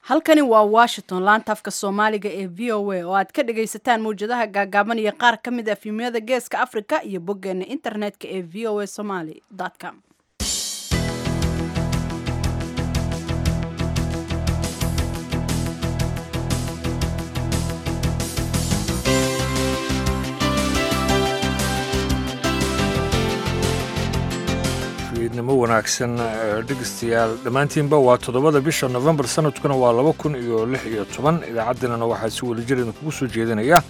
Halkani waa Washington, laanta afka Soomaaliga ee VOA oo aad ka dhagaysataan mawjadaha gaagaaban iyo qaar ka mid ah fiimyada Geeska Afrika iyo boggeena internetka ee voasomali.com. Fiidnimo wanaagsan, dhegeystayaal dhammaantiinba. Waa 7da bisha Nofembar, sanadkuna waa 2016. Idaacaddeenana waxaa si weli jir idinkugu soo jeedinaya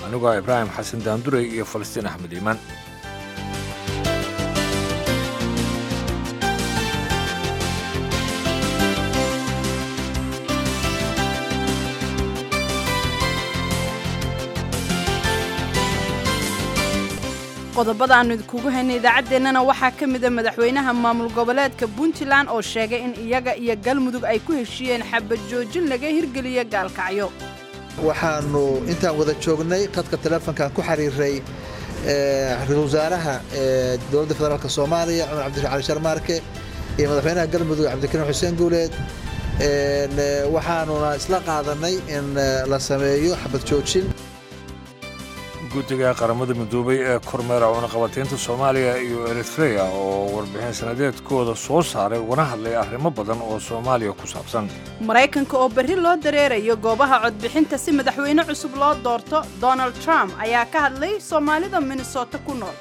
anigoo Ibraahim Xasan Daandurey iyo Falastiin Axmed Iimaan. Qodobada aanu idinkugu haynay idaacaddeenana waxaa ka mida madaxweynaha maamul goboleedka Puntland oo sheegay in iyaga iyo Galmudug ay ku heshiiyeen xabad joojin laga hirgeliyo Gaalkacyo. Waxaanu intaan wada joognay khadka teleefonkan ku xiriiray ra-iisul wasaaraha dowladda federaalk Soomaaliya, Cumar Cabdirashi Cali Sharmaarke, iyo madaxweynaha Galmudug, Cabdikariim Xuseen Guuleed. Waxaanuna isla qaadanay in la sameeyo xabad joojin. Guddiga Qaramada Midoobay ee kormeera cunaqabataynta Soomaaliya iyo Eritreya oo warbixin sanadeedkooda soo saaray ugana hadlay arrimo badan oo Soomaaliya ku saabsan. Maraykanka oo berri loo dareerayo goobaha codbixinta si madaxweyne cusub loo doorto, Donald Trump ayaa ka hadlay Soomaalida Minnesota ku nool.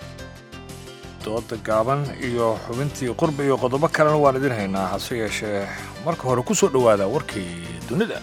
Dooda gaaban iyo xubintii qurba iyo qodobo kalena waan idin haynaa, hase yeeshee marka hore ku soo dhowaada warkii dunida.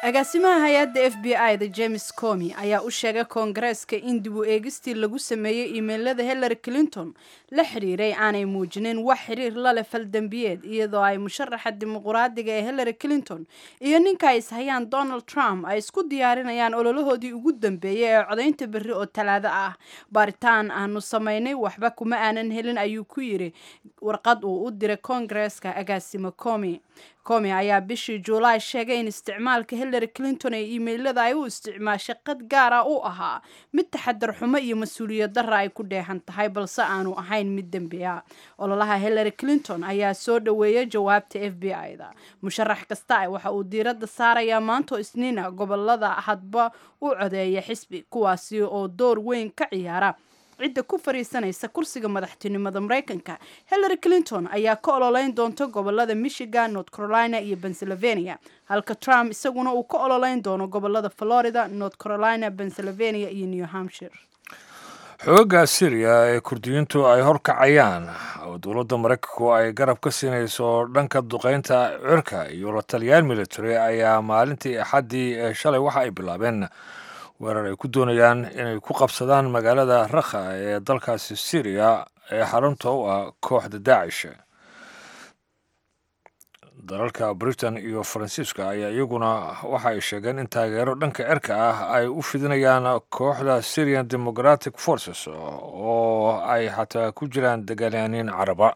Agaasimaha hay-adda FBI da, James Comy, ayaa u sheegay Koongareeska in dib u eegistii lagu sameeyey iimeylada Hillary Clinton la xiriiray aanay muujinin wax xiriir la leh faldembiyeed, iyadoo ay musharaxa Dimuquraadiga ee Hillary Clinton iyo ninka ay ishayaan, Donald Trump, ay isku diyaarinayaan ololahoodii ugu dambeeyey ee codaynta berri oo Talaado ah. "Baaritaan aanu samaynay waxba kuma aanan helin," ayuu ku yiri warqad uu u diray Koongareeska agaasimo Comy. Comy ayaa bishii Juulaay sheegay in isticmaalka Hillary Clinton ee iimeylada ay u isticmaashay qad gaara u ahaa mid taxadar xumo iyo mas-uuliyad darra ay ku dheehan tahay, balse aanu ahayn mid dembi ah. Ololaha Hillary Clinton ayaa soo dhoweeyay jawaabta FBI-da. Musharax kasta waxa uu diiradda saarayaa maanto Isniina gobolada hadba u codeeya xisbi, kuwaasi oo door weyn ka ciyaara cidda ku fariisanaysa kursiga madaxtinimada Maraykanka. Hillary Clinton ayaa ka ololeyn doonta gobolada Michigan, North Carolina iyo Pennsylvania, halka Trump isaguna uu ka ololeyn doono gobolada Florida, North Carolina, Pennsylvania iyo New Hampshire. Xoogga Syriya ee Kurdiyiintu ay horkacayaan oo dowladda Maraykanku ay garab ka siinayso dhanka duqeynta cirka iyo la taliyaal military ayaa maalintii Axaddii ee shalay waxa ay bilaabeen weerar ay ku doonayaan inay ku qabsadaan magaalada Rakha ee dalkaasi Syriya ee xarunta u ah kooxda Daacish. Dalalka Britain iyo Faransiiska ayaa iyaguna waxa ay sheegeen in taageero dhanka cirka ah ay u fidinayaan kooxda Syrian Democratic Forces oo ay xataa ku jiraan dagaalyaaniin Caraba.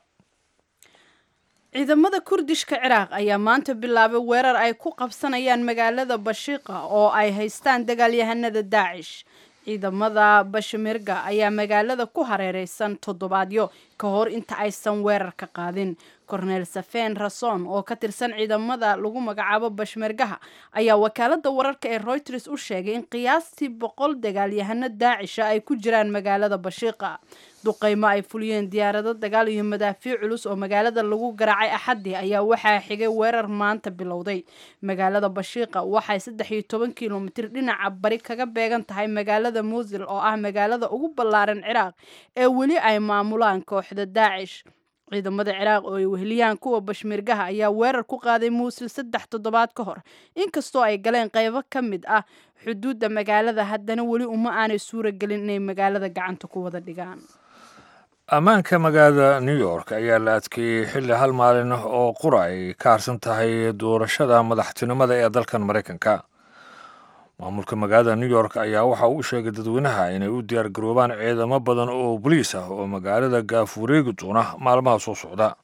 Ciidamada Kurdishka Ciraaq ayaa maanta bilaabay weerar ay ku qabsanayaan magaalada Bashiiqa oo ay haystaan dagaalyahanada Daacish. Ciidamada Bashimirga ayaa magaalada ku hareereysan toddobaadyo ka hor inta aysan weerar ka qaadin. Korneel Safeen Rason oo ka tirsan ciidamada lagu magacaabo Bashmirgaha ayaa wakaalada wararka ee Reuters u sheegay in qiyaastii 100 dagaalyahano Daacisha ay ku jiraan magaalada Bashiiqa. Duqeymo ay fuliyeen diyaarado dagaal iyo madaafiic culus oo magaalada lagu garaacay Axaddii ayaa waxaa xigay weerar maanta bilowday. Magaalada Bashiiqa waxay 13 kilomitir dhinaca bari kaga beegan tahay magaalada Muusil, oo ah magaalada ugu ballaaran Ciraaq ee weli ay maamulaan kooxda Daacish. Ciidamada Ciraaq oo ay weheliyaan kuwa Bashmirgaha ayaa weerar ku qaaday Muusil 3 toddobaad ka hor. Inkastoo ay galeen qaybo ka mid ah xuduudda magaalada, haddana weli uma aanay suura gelin inay magaalada gacanta ku wada dhigaan. Ammaanka magaalada New York ayaa la adkeeyey xilli hal maalin oo qura ay ka harsan tahay doorashada madaxtinimada ee dalkan Maraykanka. Maamulka magaalada New York ayaa waxa uu sheegay dadweynaha inay u diyaargaroobaan ciidamo badan oo boliis ah oo magaalada gaaf wareegi doona maalmaha soo socda.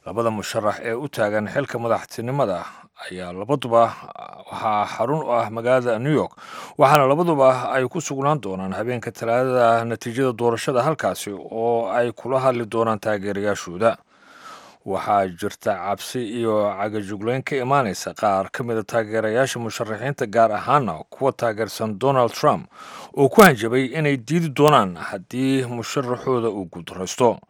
Labada musharax ee u taagan xilka madaxtinimada ayaa labaduba waxaa xarun u ah magaalada New York, waxaana labaduba ay ku sugnaan doonaan habeenka Talaadada natiijada doorashada, halkaasi oo ay kula hadli doonaan taageerayaashooda. Waxaa jirta cabsi iyo cagajugleyn ka imaanaysa qaar ka mida taageerayaasha musharaxiinta, gaar ahaana kuwa taageersan Donald Trump oo ku hanjabay inay diidi doonaan haddii musharaxooda uu guuldaraysto.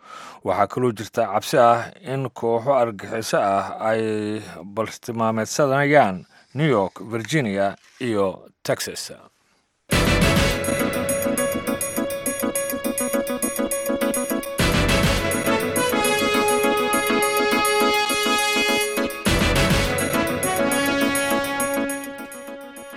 Waxaa kaloo jirta cabsi ah in kooxo argagixiso ah ay baltilmaameedsanayaan New York, Virginia iyo Texas.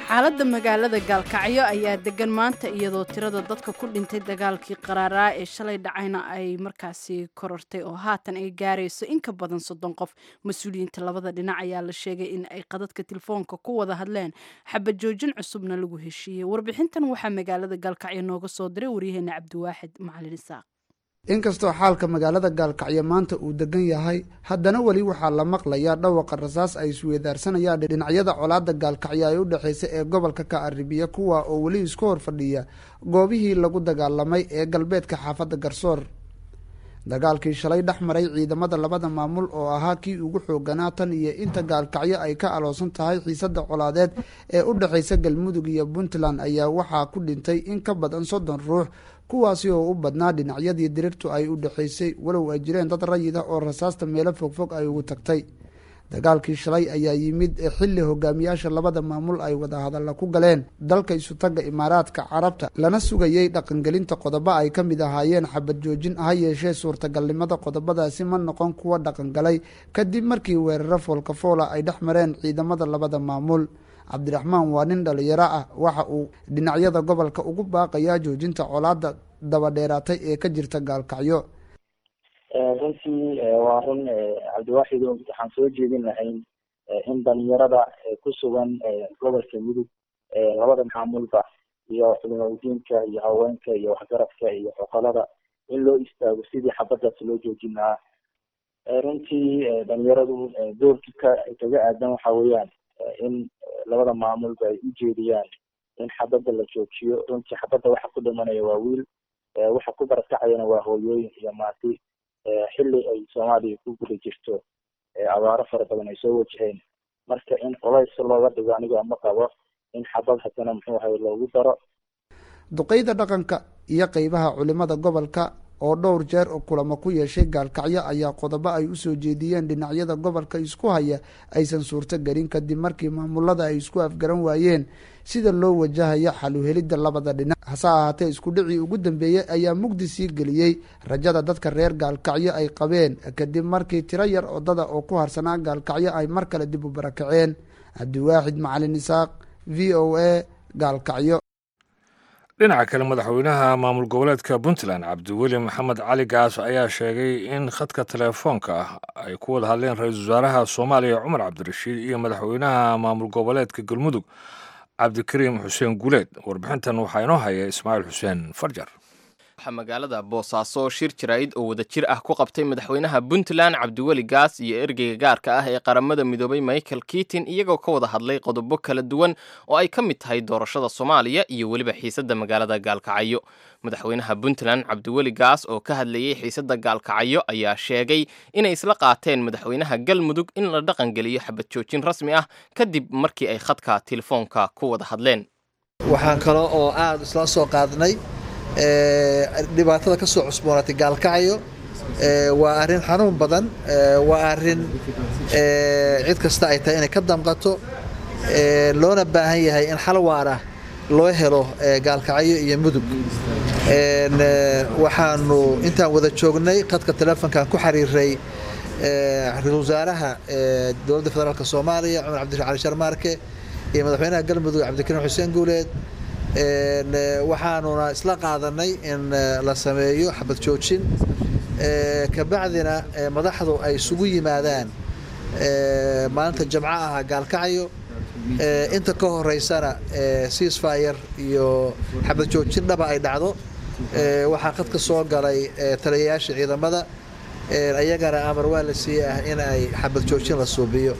Xaaladda magaalada Gaalkacyo ayaa degan maanta, iyadoo tirada dadka ku dhintay dagaalkii qaraaraa ee shalay dhacayna ay markaasi korortay oo haatan ay gaarayso in ka badan 30 qof. Mas-uuliyiinta labada dhinac ayaa la sheegay in ay qadadka telefoonka ku wada hadleen, xabad joojin cusubna lagu heshiiyey. Warbixintan waxaa magaalada Gaalkacyo nooga soo diray waryaheena Cabdiwaaxid Macalin Isaaq. Inkastoo xaalka magaalada Gaalkacyo maanta uu degan yahay, haddana weli waxaa la maqlayaa dhawaqa rasaas ay isweedaarsanayaan dhinacyada colaadda Gaalkacyo ay u dhexeysa ee gobolka ka arribiya, kuwa oo weli isku hor fadhiya goobihii lagu dagaalamay ee galbeedka xaafadda Garsoor. Dagaalkii shalay dhex maray ciidamada labada maamul oo ahaa kii ugu xooganaa tan iyo inta Gaalkacyo ay ka aloosan tahay xiisadda colaadeed ee u dhexeysa Galmudug iyo Puntland ayaa waxaa ku dhintay in ka badan 30 ruux, kuwaasi oo u badnaa dhinacyadii dirirtu ay u dhexeysay, walow ay jireen dad rayid ah oo rasaasta meelo fogfog ay ugu tagtay. Dagaalkii shalay ayaa yimid xilli hogaamiyaasha labada maamul ay wadahadalla ku galeen dalka Isutagga Imaaraadka Carabta, lana sugayey dhaqangelinta qodobo ay ka mid ahaayeen xabad joojin. Ha yeeshee suurtagalnimada qodobadaasi ma noqon kuwa dhaqangalay kadib markii weeraro foolkafoola ay dhex mareen ciidamada labada maamul. Cabdiraxmaan waa nin dhalinyaro ah, waxa uu dhinacyada gobolka ugu baaqayaa joojinta colaadda dabadheeraatay ee ka jirta Gaalkacyo. Runtii waa run, Cabdiwaaxido, waxaan soo jeedin lahayn in dhalinyarada ku sugan gobolka Mudug, labada maamulba, iyo culimadiinka iyo haweenka iyo waxgaradka iyo xoqolada in loo istaago sidii xabadaas loo joojin lahaa. Runtii dhalinyaradu doorki ka kaga aadan waxa weeyaan in labada maamulba ay ujeediyaan in xabadda la joojiyo. Runtii xabadda waxa ku dhimanaya waa wiil, waxa ku barakacayana waa hooyooyin iyo maati, xilli ay Soomaaliya ku guda jirto abaaro fara badan ay soo wajaheen. Marka in culays looga dhigo aniga ma qabo in xabad haddana muxuu ahay loogu daro. Duqeyda dhaqanka iyo qeybaha culimada gobolka oo dhowr jeer oo kulamo ku yeeshay Gaalkacyo ayaa qodobo ay usoo jeediyeen dhinacyada gobolka isku haya aysan suurto gelin kadib markii maamulada ay isku afgaran waayeen sida loo wajahayo xaluhelidda labada dhinac. Hase ahaatee isku dhicii ugu dambeeyey ayaa mugdi sii geliyey rajada dadka reer Gaalkacyo ay qabeen kadib markii tiro yar odada oo ku harsanaa Gaalkacyo ay mar kale dib u barakaceen. Cabdiwaaxid Macalin Isaaq, VOA, Gaalkacyo. Dhinaca kale, madaxweynaha maamul goboleedka Puntland Cabdiweli Maxamed Cali Gaas ayaa sheegay in khadka telefoonka ah ay ku wada hadleen ra-iisul wasaaraha Soomaaliya Cumar Cabdirashiid iyo madaxweynaha maamul goboleedka Galmudug Cabdikariim Xuseen Guuleed. Warbixintan waxaa inoo haya Ismaaciil Xuseen Farjar. Waxaa magaalada Boosaaso shir jaraa'id oo wadajir ah ku qabtay madaxweynaha Puntland Cabdiweli Gaas iyo ergeyga gaarka ah ee Qaramada Midoobay Michael Keating, iyagoo ka wada hadlay qodobo kala duwan oo ay ka mid tahay doorashada Soomaaliya iyo weliba xiisadda magaalada Gaalkacyo. Madaxweynaha Puntland Cabdiweli Gaas oo ka hadlayey xiisadda Gaalkacyo ayaa sheegay inay isla qaateen madaxweynaha Galmudug in la dhaqangeliyo xabad joojin rasmi ah kadib markii ay khadka telefoonka ku wada hadleen. Waxaan kale oo aada isla soo qaadnay dhibaatada ka soo cusboonaatay Gaalkacyo. Waa arrin xanuun badan, waa arrin cid kasta ay tahay inay ka damqato, loona baahan yahay in xal waara loo helo Gaalkacyo iyo Mudug. Waxaanu intaan wada joognay khadka telefoonkan ku xiriiray ra-iisul wasaaraha dowladda federaalk Soomaaliya Cumar Cabdirashiid Cali Sharmaarke iyo madaxweynaha Galmudug Cabdikariim Xuseen Guuleed, waxaanuna isla qaadanay in la sameeyo xabad joojin, kabacdina madaxdu ay isugu yimaadaan maalinta jamco ah Gaalkacyo. Inta ka horeysana ceasefire iyo xabad joojin dhaba ay dhacdo. Waxaa khadka soo galay taliyayaasha ciidamada, Ayagana amar waa la siiyey ah in ay xabad joojin la suubiyo.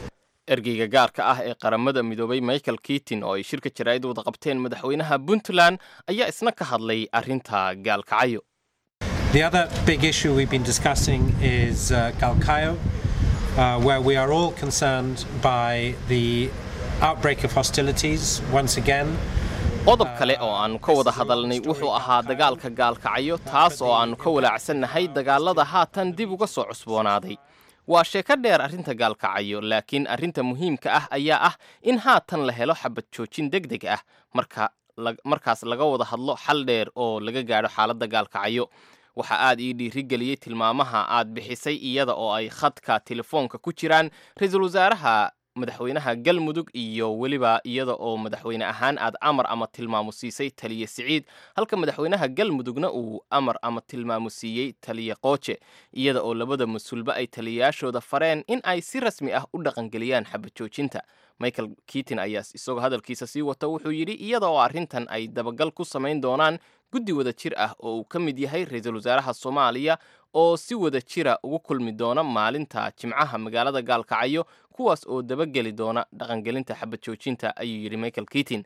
Ergeyga gaarka ah ee Qaramada Midoobay Michael Keating oo ay shirka jaraa'id wada qabteen madaxweynaha Puntland ayaa isna ka hadlay arrinta Gaalkacyo. The other big issue we've been discussing is Galkayo, where we are all concerned by the outbreak of hostilities once again. Qodob kale oo aannu ka wada hadalnay wuxuu ahaa dagaalka Gaalkacyo, taas oo aannu ka walaacsannahay dagaalada haatan dib uga soo cusboonaaday. Waa sheeko dheer arrinta Gaalkacyo, laakiin arrinta muhiimka ah ayaa ah in haatan la helo xabad joojin deg deg ah, marka markaas laga wada hadlo xal dheer oo laga gaadho xaaladda Gaalkacyo. Waxa aad ii dhiirigeliyey tilmaamaha aad bixisay, iyada oo ay khadka telefoonka ku jiraan ra-iisul wasaaraha, madaxweynaha Galmudug, iyo weliba iyada oo madaxweyne ahaan aad amar ama tilmaamo siisay taliye Siciid, halka madaxweynaha Galmudugna uu amar ama tilmaamo siiyey taliye Qooje, iyada oo labada mas-uulba ay taliyayaashooda fareen in ay si rasmi ah u dhaqangeliyaan xabad joojinta. Michael Keating ayaa isagoo hadalkiisa sii wata wuxuu yidhi iyada oo arrintan ay dabagal ku samayn doonaan guddi wada jir ah oo uu ka mid yahay ra-iisul wasaaraha Soomaaliya, oo si wada jira ugu kulmi doona maalinta Jimcaha magaalada Gaalkacyo, kuwaas oo dabageli doona dhaqangelinta xabad joojinta, ayuu yidhi Michael Keating.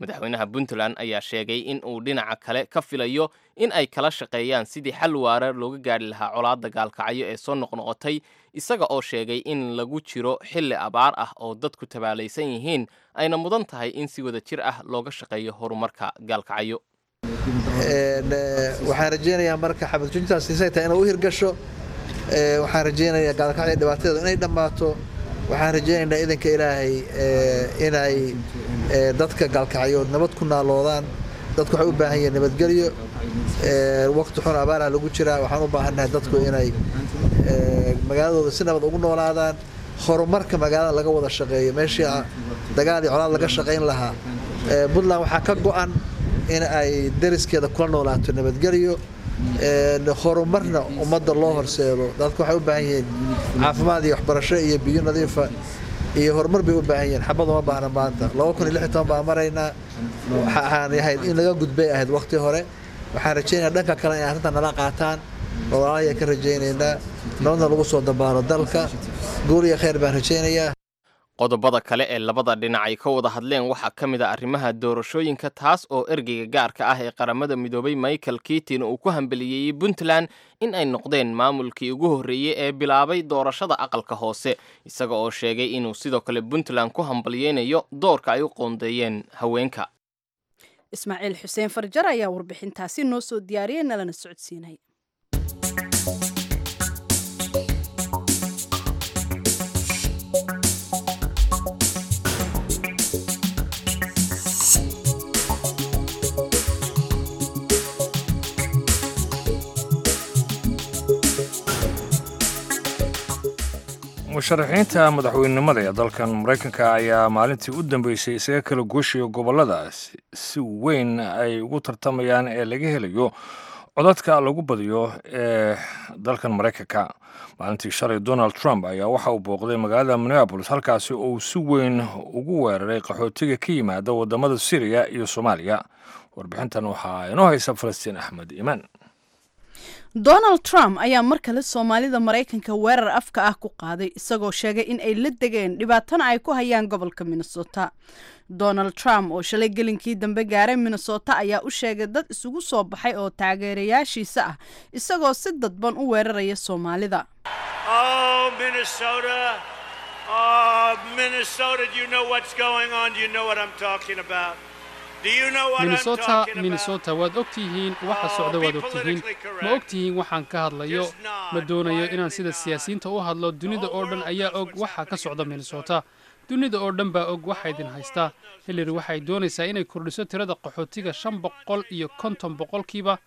Madaxweynaha Puntland ayaa sheegay in uu dhinaca kale ka filayo in ay kala shaqeeyaan sidii xal waara looga gaadhi lahaa colaadda Gaalkacyo ee soo noqnoqotay, isaga oo sheegay in lagu jiro xilli abaar ah oo dadku tabaalaysan yihiin, ayna mudan tahay in si wada jir ah looga shaqeeyo horumarka Gaalkacyo. Waxaan rajeynayaa marka xabad joojintaas say tahay inay u hirgasho. Waxaan rajeynayaa Gaalkacyo dhibaatadeedu inay dhammaato. Waxaan rajeynaynaa idanka Ilaahay inay dadka Gaalkacyood nabad ku naaloodaan. Dadku waxay u baahan yihiin nabadgelyo. Waqti xun abaaraha lagu jiraa. Waxaan u baahannahay dadku inay magaaladooda si nabad ugu noolaadaan, horumarka magaalada laga wada shaqeeyo meeshii dagaal iyo colaad laga shaqayn lahaa. Puntland waxaa ka go'an in ay dariskeeda kula noolaato nabadgelyo, horumarna ummadda loo horseedo. Dadku waxay u baahan yihiin caafimaad iyo waxbarasho iyo biyo nadiifa iyo horumar bay u baahan yihiin. Xabad uma baahna maanta. 2016 baan maraynaa. Waxaan ahayd in laga gudbay ahayd waqti hore. Waxaan rajeynayaa dhanka kale inay arrintan nala qaataan. Walaalahay ka rajeynaynaa nabadna lagu soo dabaalo dalka. Guul iyo khayr baan rajeynayaa. Qodobada kale ee labada dhinac ay ka wada hadleen waxaa ka mid ah arrimaha doorashooyinka, taas oo ergeyga gaarka ah ee Qaramada Midoobay Michael Keating uu ku hambeliyeeyey Puntland in ay noqdeen maamulkii ugu horreeyey ee bilaabay doorashada aqalka hoose, isaga oo sheegay inuu sidoo kale Puntland ku hambaliyeynayo doorka ay u qoondeeyeen haweenka. Ismaaciil Xuseen Farjar ayaa warbixintaasi noo soo diyaariyey, nalana socodsiinay. Musharaxiinta madaxweynenimada ee dalkan Maraykanka ayaa maalintii u dambeysay isaga kala gooshayo gobollada si weyn ay ugu tartamayaan ee laga helayo codadka lagu badiyo ee dalkan Maraykanka. Maalintii shalay Donald Trump ayaa waxa uu booqday magaalada Minneapolis, halkaasi oo uu si weyn ugu weeraray qaxootiga ka yimaada wadamada Syriya iyo Soomaaliya. Warbixintan waxaa inoo haysa Falastiin Axmed Imaan. Donald Trump ayaa mar kale Soomaalida Maraykanka weerar afka ah ku qaaday, isagoo sheegay in ay la degeen dhibaatana ay ku hayaan gobolka Minnesota. Donald Trump oo shalay gelinkii dambe gaaray Minnesota ayaa u sheegay dad isugu soo baxay oo taageerayaashiisa ah, isagoo si dadban u weeraraya Soomaalida. Oh, Minnesota. Oh, Minnesota, do you know what's going on? Do you know what I'm talking about? Do you know what I'm Minnesota, talking about? Minnesota, waad ogtihiin waxa Oh, socda, be waad ogtihiin. politically Ma correct. ogtihiin waxaan ka hadlayo? Just nod, Ma doonayo inaan quietly sida nod. siyaasiyiinta u hadlo. The Dunida whole oo dhan world ayaa knows og what's waxa ka happening in socda Minnesota. Minnesota. Dunida oo dhan baa og waxa The idin whole haysta. world knows Hillary what's waxay happening. doonaysaa inay kordhiso tirada qaxootiga 550%,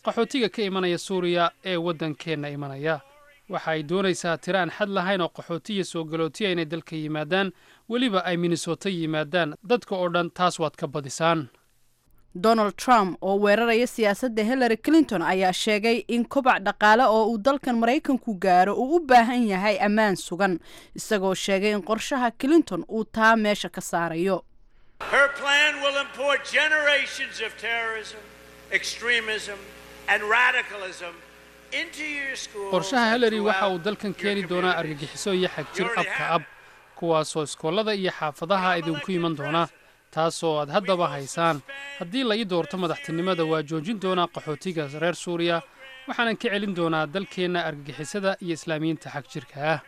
qaxootiga ka imanaya Suuriya ee waddankeenna imanaya. Waxa ay doonaysaa tiro aan xad lahayn oo qaxootiya soo galootiya inay dalka yimaadaan, weliba ay Minnesota yimaadaan. Dadka oo dhan taas waad ka badisaan. Donald Trump oo weeraraya siyaasadda Hillary Clinton ayaa sheegay in kobac dhaqaale oo uu dalkan Maraykanku gaaro uu u baahan yahay ammaan sugan, isagoo sheegay in qorshaha Clinton uu taa meesha ka saarayo. Her plan will import generations of terrorism, extremism, and radicalism into your schools. Qorshaha and Hillary waxa uu throughout dalkan your keeni doonaa communities. argagixiso iyo xagjir You already abka have ab, kuwaasoo iskoolada iyo xaafadaha idinku iman doona, taasoo aad haddaba haysaan. Haddii la ii doorto madaxtinimada, waa joojin doonaa qaxootiga reer Suuriya, waxaanan ka celin doonaa dalkeenna argagixisada iyo Islaamiyiinta xagjirka ah.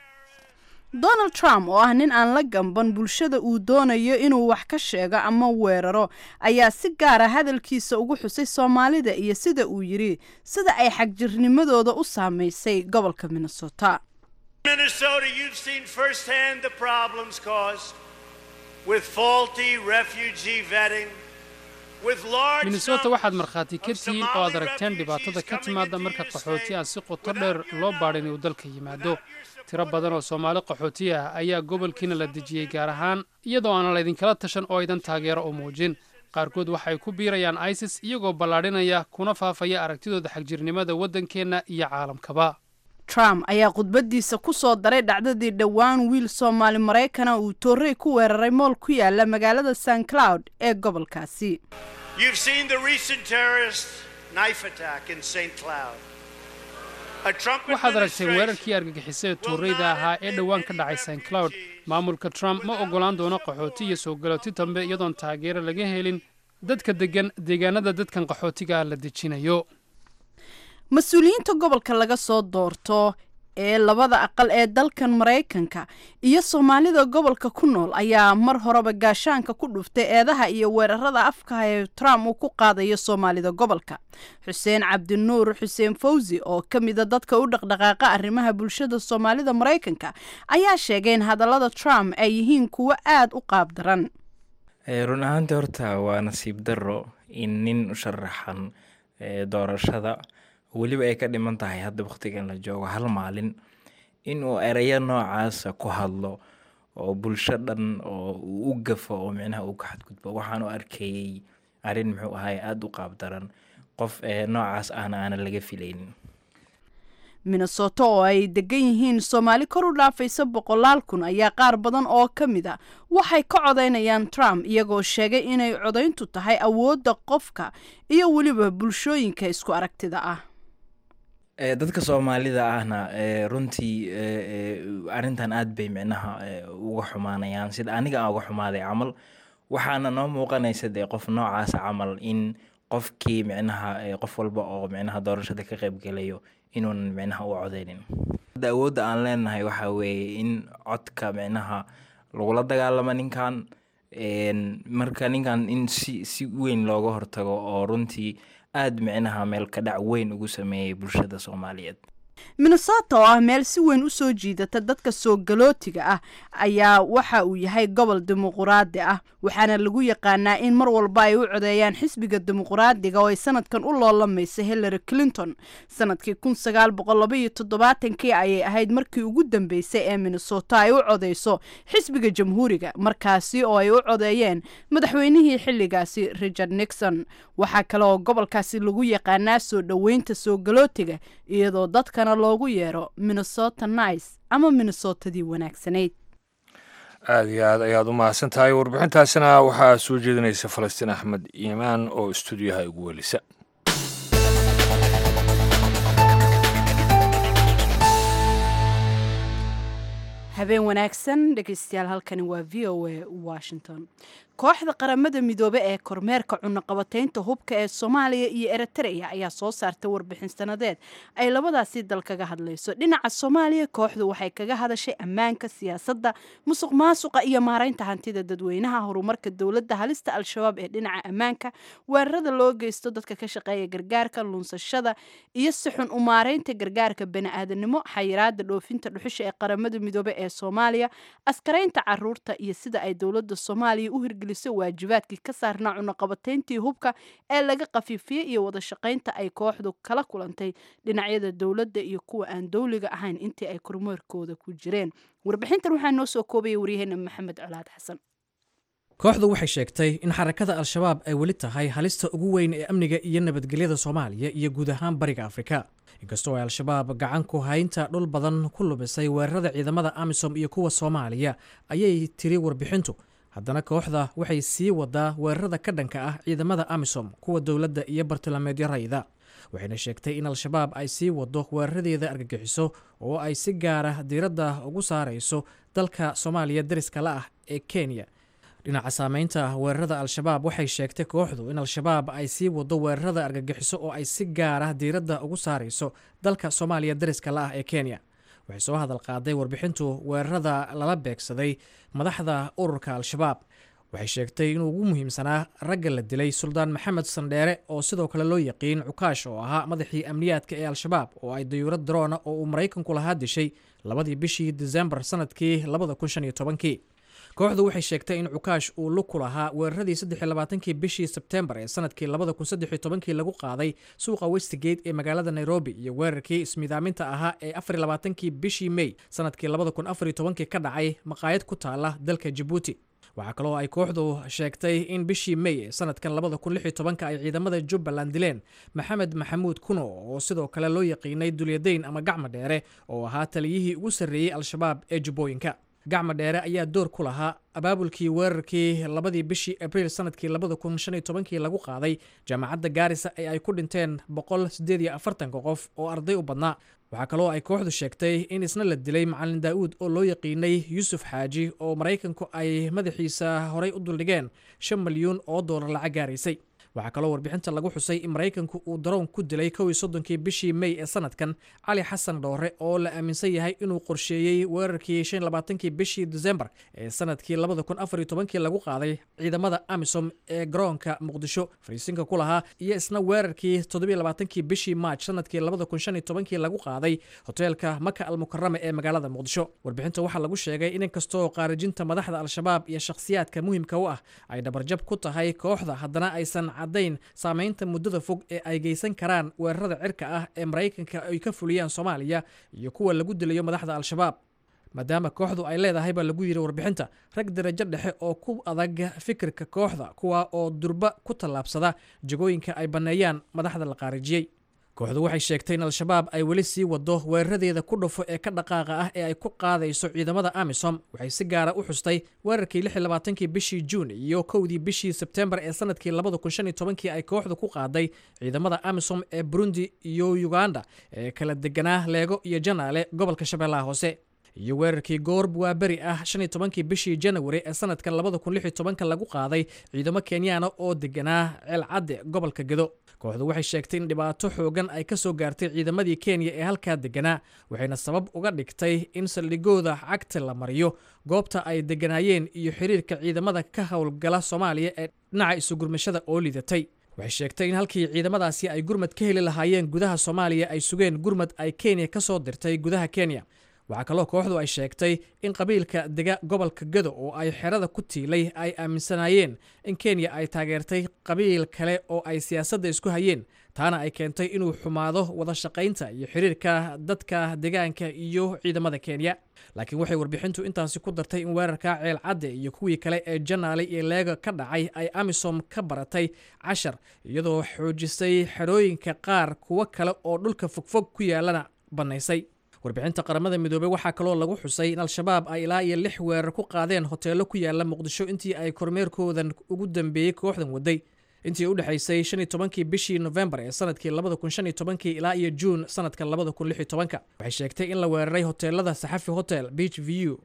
Donald Trump oo ah nin aan la gamban bulshada uu doonayo inuu wax ka sheego ama weeraro ayaa si gaara hadalkiisa ugu xusay Soomaalida iyo sida uu yidhi sida ay xagjirnimadooda u saamaysay gobolka Minnesota. Minnesota, you've seen firsthand the problems caused with faulty refugee vetting, with large Minnesota, waxaad numbers markhaati ka of tihiin oo aad Somali aragteen refugees dhibaatada ka coming timaadda into marka your qaxooti state aan si qoto without dheer your loo baadhin uu knowledge, dalka yimaado. without your Tiro support. badan oo Soomaali qaxooti ah ayaa gobolkiina la dejiyey, gaar ahaan iyadoo aan laydinkala tashan oo aydan taageero u muujin. Qaarkood waxay ku biirayaan ISIS, iyagoo ballaadhinaya kuna faafaya aragtidooda xagjirnimada waddankeenna iyo caalamkaba. Trump ayaa khudbadiisa ku soo daray dhacdadii dhowaan wiil Soomaali Maraykana uu toorey ku weeraray mool ku yaala magaalada St Cloud ee gobolkaasi. You've seen the recent terrorist knife attack in St. Cloud. A Trump Waxaad aragtay administration weerarkii argagixisada will tuurayda not ahaa ee admit dhowaan ka any dhacay St Cloud. refugees Maamulka Trump ma without oggolaan the doono qaxooti iyo support soo galooti of dambe iyadoon taageero laga helin dadka deggan deegaanada dadkan qaxootiga ah la dejinayo. Mas-uuliyiinta gobolka laga soo doorto ee labada aqal ee dalkan Maraykanka iyo Soomaalida gobolka ku nool ayaa mar horeba gaashaanka ku dhuftay eedaha iyo weerarada afka ee Trump uu ku qaadayo Soomaalida gobolka. Xuseen Cabdinuur Xuseen Fawsi oo ka mida dadka u dhaqdhaqaaqa arrimaha bulshada Soomaalida Maraykanka ayaa sheegay in hadallada Trump ay yihiin kuwo aada u qaab daran. Run ahaantii horta waa nasiib darro in nin u sharaxan doorashada, weliba ay ka dhiman tahay hadda waqtigan la joogo hal maalin, inuu ereyo noocaasa ku hadlo oo bulsho dhan oo uu u gafo oo micnaha uu ka xadgudbo. Waxaan u arkayey arrin muxuu ahay aada u qaab daran, qof noocaas ahna aanan laga filaynin. Minnesota oo ay degan yihiin Soomaali kor u dhaafaysa boqolaal kun ayaa qaar badan oo ka mid a waxay ka codaynayaan Trump, iyagoo sheegay inay codayntu tahay awoodda qofka iyo weliba bulshooyinka isku aragtida ah. Dadka Soomaalida ahna runtii arrintan aad bay micnaha uga xumaanayaan sida aniga aan uga xumaaday camal. Waxaana noo muuqanaysa dee qof noocaasa camal in qofkii micnaha qof walba oo micnaha doorashada ka qaybgalayo inuunan micnaha u codeynin. Hadda awoodda aan leenahay waxaa weeye in codka micnaha lagula dagaalamo ninkan, marka ninkan in si weyn looga hortago oo runtii aada micnaha meel ka dhac weyn ugu sameeyey bulshada Soomaaliyeed. Minnesota oo ah meel si weyn u soo jiidata dadka soo galootiga ah ayaa waxa uu yahay gobol dimuquraadi ah, waxaana lagu yaqaanaa in mar walba ay u codeeyaan xisbiga Dimuquraadiga oo ay sanadkan u loolamaysa Hillary Clinton. Sanadkii 1972-kii ayay ahayd markii ugu dambeysay ee Minnesota ay u codeyso xisbiga Jamhuuriga, markaasi oo ay u codeeyeen madaxweynihii xilligaasi Richard Nixon. Waxaa kale oo gobolkaasi lagu yaqaanaa soo dhoweynta soo galootiga, iyadoo dadkana loogu yeero Minnesota Nice ama Minnesotadii wanaagsanayd. Aada iyo aad ayaad u mahadsan tahay. Warbixintaasina waxaa soo jeedinaysa Falastiin Axmed Iimaan oo istuudiyaha igu welisa. Habeen wanaagsan dhegeystayaal, halkani waa VOA Washington. Kooxda Qaramada Midoobe ee kormeerka cunaqabataynta hubka ee Soomaaliya iyo Eritrea ayaa soo saartay warbixin sanadeed ay labadaasi dal kaga hadlayso. Dhinaca Soomaaliya, kooxdu waxay kaga hadashay ammaanka, siyaasadda, musuq maasuqa iyo maaraynta hantida dadweynaha, horumarka dowladda, halista Al-Shabaab ee dhinaca ammaanka, weerarada loo geysto dadka ka shaqeeya gargaarka, lunsashada iyo si xun u maaraynta gargaarka bani'aadanimo, xayiraada dhoofinta dhuxusha ee Qaramada Midoobe ee Soomaaliya, askaraynta caruurta iyo sida ay dowladda Soomaaliya u hirgelisay waajibaadkii ka saarnaa cunaqabatayntii hubka ee laga khafiifiyey, iyo wada shaqaynta ay kooxdu kala kulantay dhinacyada dowladda iyo kuwa aan dowliga ahayn intii ay kormeerkooda ku jireen. Warbixintan waxaa noo soo koobaya waryaheena Maxamed Colaad Xasan. Kooxdu waxay sheegtay in xarakada Al-Shabaab ay weli tahay halista ugu weyn ee amniga iyo nabadgelyada Soomaaliya iyo guud ahaan Bariga Afrika. Inkastoo ay Al-Shabaab gacan ku haynta dhul badan ku lumisay weerarada ciidamada AMISOM iyo kuwa Soomaaliya, ayay tiri warbixintu, haddana kooxda waxay sii wadaa weerarada ka dhanka ah ciidamada AMISOM, kuwa dowladda iyo bartilmaameedyo rayida. Waxayna sheegtay in Al-Shabaab ay sii wado weeraradeeda argagixiso oo ay si gaara diiradda ugu saarayso dalka Soomaaliya dariska la ah ee Kenya. Dhinaca saameynta weerarada Al-Shabaab, waxay sheegtay kooxdu in Al-Shabaab ay sii wado weerarada argagixiso oo ay si gaara diiradda ugu saarayso dalka Soomaaliya dariska la ah ee Kenya. Waxay soo hadal qaaday warbixintu weerarada lala beegsaday madaxda ururka Al-Shabaab. Waxay sheegtay inuu ugu muhiimsanaa ragga la dilay Suldaan Maxamed Sandheere, oo sidoo kale loo yaqiin Cukaash, oo ahaa madaxii amniyaadka ee Al-Shabaab, oo ay dayuurad daroona oo uu Maraykanku lahaa dishay 2dii bishii Disembar sanadkii 2015-kii. Kooxdu waxay sheegtay in Cukaash uu lug ku lahaa weeraradii 23-kii bishii Sebtembar ee sanadkii 2013-kii lagu qaaday suuqa Westgate ee magaalada Nairobi iyo weerarkii ismidaaminta ahaa ee 24-kii bishii Mey sanadkii 2014-kii ka dhacay maqaayad ku taala dalka Jabuuti. Waxaa kaloo ay kooxdu sheegtay in bishii Mey ee sanadkan 2016-ka ay ciidamada Jubbaland dileen Maxamed Maxamuud Kuno, oo sidoo kale loo yaqiinay Dulyadayn ama Gacma Dheere, oo ahaa taliyihii ugu sarreeyey Al-Shabaab ee Jubbooyinka. Gacma Dheere ayaa door ku lahaa abaabulkii weerarkii 2dii bishii Abriil sanadkii 2015-kii lagu qaaday jaamacadda Gaarisa ee ay ku dhinteen 148-ka qof oo arday u badnaa. Waxaa kaloo ay kooxdu sheegtay in isna la dilay Macalin Daa'uud, oo loo yaqiinay Yuusuf Xaaji, oo Maraykanku ay madaxiisa horay u duldhigeen 5 milyuun oo doolar lacag gaaraysay. Waxaa kaloo warbixinta lagu xusay in Maraykanku uu daroon ku dilay 31-kii bishii Mey ee sanadkan Cali Xasan Dhoore, oo la aaminsan yahay inuu qorsheeyey weerarkii 25-kii bishii Disembar ee sanadkii 2014-kii lagu qaaday ciidamada AMISOM ee garoonka Muqdisho fariisinka ku lahaa, iyo isna weerarkii 27-kii bishii Maaj sanadkii 2015-kii lagu qaaday hoteelka Maka Almukarama ee magaalada Muqdisho. Warbixinta waxaa lagu sheegay in inkastoo qaarijinta madaxda Al-Shabaab iyo shakhsiyaadka muhiimka u ah ay dhabarjab ku tahay kooxda, haddana aysan caddayn saameynta muddada fog ee ay geysan karaan weerarada cirka ah ee Maraykanka ay ka fuliyaan Soomaaliya iyo kuwa lagu dilayo madaxda Al-Shabaab, maadaama kooxdu ay leedahay, baa lagu yidhi warbixinta, rag darajo dhexe oo ku adag fikirka kooxda, kuwa oo durba ku tallaabsada jagooyinka ay banneeyaan madaxda la qaarijiyey. Kooxdu waxay sheegtay in Al-Shabaab ay weli sii wado weeraradeeda ku dhufo ee ka dhaqaaqa ah ee ay ku qaadayso ciidamada AMISOM. Waxay si gaara u xustay weerarkii 26-kii bishii Juun iyo 1dii bishii Sebtembar ee sanadkii 2015-kii ay kooxdu ku qaaday ciidamada AMISOM ee Burundi iyo Uganda ee kala deganaa Leego iyo Janaale, gobolka Shabeellaha Hoose, iyo weerarkii goor waaberi ah 15-kii bishii Janawari ee sanadka 2016-ka lagu qaaday ciidamo Kenyaana oo deganaa Ceelcadde, gobolka Gedo. Kooxdu waxay sheegtay in dhibaato xoogan ay ka soo gaartay ciidamadii Kenya ee halkaa deganaa, waxayna sabab uga dhigtay in saldhigooda cagta la mariyo, goobta ay deganaayeen iyo xiriirka ciidamada ka howlgala Soomaaliya ee dhinaca isugurmashada oo liidatay. Waxay sheegtay in halkii ciidamadaasi ay gurmad ka heli lahaayeen gudaha Soomaaliya, ay sugeen gurmad ay Kenya ka soo dirtay gudaha Kenya. Waxaa kaloo kooxdu ay sheegtay in qabiilka dega gobolka Gado oo ay xerada ku tiilay ay aaminsanaayeen in Kenya ay taageertay qabiil kale oo ay siyaasadda isku hayeen, taana ay keentay inuu xumaado wada shaqaynta iyo xiriirka dadka deegaanka iyo ciidamada Kenya. Laakiin waxay warbixintu intaasi ku dartay in weerarka Ceelcadde iyo kuwii kale ee Janaale iyo Leega ka dhacay ay AMISOM ka baratay cashar, iyadoo xoojisay xerooyinka qaar, kuwo kale oo dhulka fogfog ku yaalana bannaysay. Warbixinta Qaramada Midoobey waxaa kaloo lagu xusay in Al-Shabaab ay ilaa iyo lix weerar ku qaadeen hoteello ku yaala Muqdisho intii ay kormeerkoodan ugu dambeeyey kooxdan waday, intii u dhexaysay 15-kii bishii Nofembar ee sanadkii 2015-kii ilaa iyo Juun sanadka 2016-ka. Waxay sheegtay in la weeraray hoteelada Saxafi Hotel, Beach View,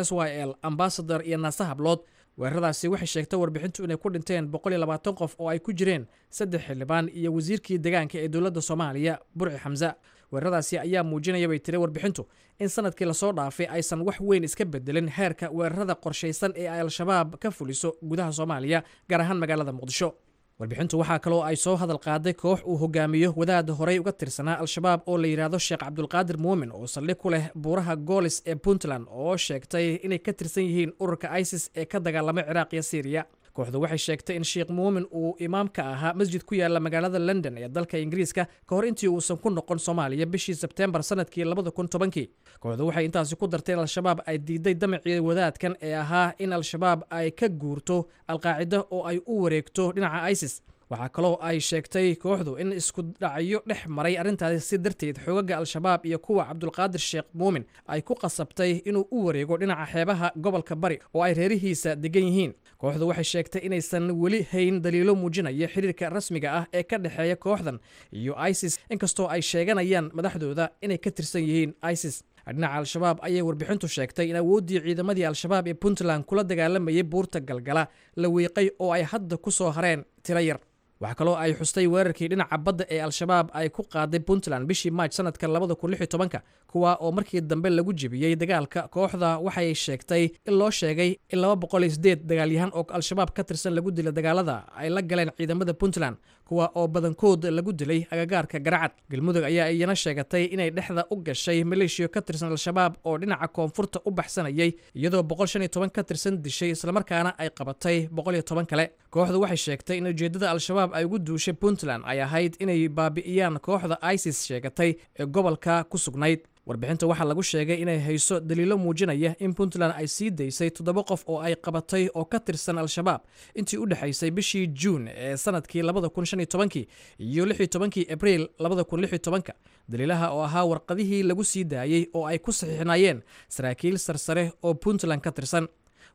SYL, Ambassador iyo Naasa Hablood. Weeraradaasi waxay sheegtay warbixintu inay ku dhinteen 120 qof, oo ay ku jireen saddex xildhibaan iyo wasiirkii deegaanka ee dowladda Soomaaliya, Burci Xamse. Weeraradaasi ayaa muujinaya, bay tiri warbixintu, in sanadkii lasoo dhaafay aysan wax weyn iska bedelin heerka weerarada qorshaysan ee ay Al-Shabaab ka fuliso gudaha Soomaaliya, gaar ahaan magaalada Muqdisho. Warbixintu waxaa kaloo ay soo hadal qaaday koox uu hogaamiyo wadaad horey uga tirsanaa Al-Shabaab oo la yidhaahdo Sheekh Cabdulqaadir Muumin, oo saldhig ku leh buuraha Goolis ee Puntland, oo sheegtay inay ka tirsan yihiin ururka ISIS ee ka dagaalamay Ciraaq iyo Siiriya. Kooxdu waxay sheegtay in Sheekh Muumin uu imaamka ahaa masjid ku yaala magaalada London ee dalka Ingiriiska ka hor intii uusan ku noqon Soomaaliya bishii Sebteembar sanadkii 2010-kii. Kooxdu waxay intaasi ku dartay in Al-Shabaab ay diiday damacii wadaadkan ee ahaa in Al-Shabaab ay ka guurto Alqaacida oo ay u wareegto dhinaca ISIS. Waxaa kaloo ay sheegtay kooxdu in isku dhacyo dhex maray arrintaasi si darteed xoogaga Al-Shabaab iyo kuwa Cabdulqaadir Sheekh Muumin ay ku qasabtay inuu u wareego dhinaca xeebaha gobolka Bari oo ay reerihiisa degan yihiin. Kooxdu waxay sheegtay inaysan weli hayn daliilo muujinaya xiriirka rasmiga ah ee ka dhexeeya kooxdan iyo ISIS, inkastoo ay sheeganayaan madaxdooda inay ka tirsan yihiin ISIS. Dhinaca Al-Shabaab ayay warbixintu sheegtay in awooddii ciidamadii Al-Shabaab ee Puntland kula dagaalamayay buurta Galgala la wiiqay oo ay hadda ku soo hareen tiro yar. Waxaa kaloo ay xustay weerarkii dhinaca badda ee Al-Shabaab ay ku qaaday Puntland bishii Maaj sanadka 2016, kuwa oo markii dambe lagu jebiyey dagaalka. Kooxda waxay sheegtay in loo sheegay in 208 dagaalyahan oo Al-Shabaab ka tirsan lagu dilay dagaalada ay la galeen ciidamada Puntland, kuwa oo badankood lagu dilay agagaarka Garacad. Galmudug ayaa iyana sheegatay inay dhexda u gashay maleeshiyo ka tirsan Al-Shabaab oo dhinaca koonfurta u baxsanayay, iyadoo 115 ka tirsan dishay, islamarkaana ay qabatay 110 kale. Kooxdu waxay sheegtay in ujeeddada Al-Shabaab ay ugu duushay Puntland ay ahayd inay baabi'iyaan kooxda ISIS sheegatay ee gobolka ku sugnayd. Warbixinta waxaa lagu sheegay inay hayso daliilo muujinaya in Puntland ay sii daysay 7 qof oo ay qabatay oo ka tirsan Al-Shabaab intii u dhexaysay bishii Juun ee sanadkii 2015 iyo 16kii Abriil 2016-ka, daliilaha oo ahaa warqadihii lagu sii daayey oo ay ku saxiixnaayeen saraakiil sarsare oo Puntland ka tirsan.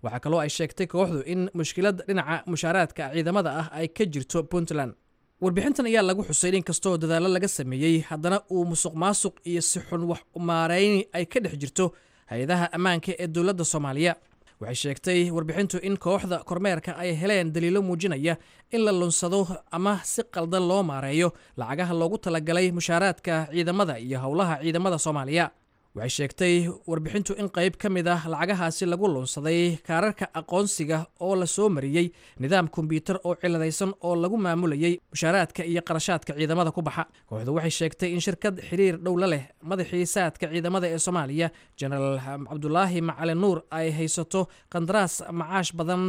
Waxaa kaloo ay sheegtay kooxdu in mushkilad dhinaca mushaaraadka ciidamada ah ay ka jirto Puntland. Warbixintan ayaa lagu xusay in inkastoo dadaallo laga sameeyey, haddana uu musuq maasuq iyo si xun wax maarayni ay ka dhex jirto hay-adaha ammaanka ee dowladda Soomaaliya. Waxay sheegtay warbixintu in kooxda kormeerka ay heleen daliilo muujinaya in la lunsado ama si qaldan loo maareeyo lacagaha loogu talagalay mushaaraadka ciidamada iyo howlaha ciidamada Soomaaliya. Waxay sheegtay warbixintu in qayb ka mid ah lacagahaasi lagu lunsaday kaararka aqoonsiga oo la soo mariyey nidaam kombyuutar oo ciladaysan oo lagu maamulayay mushaaraadka iyo qarashaadka ciidamada ku baxa. Kooxdu waxay sheegtay in shirkad xiriir dhow la leh madaxii saadka ciidamada ee Soomaaliya, Jenaraal Cabdulaahi Macalin Nuur, ay haysato qandaraas macaash badan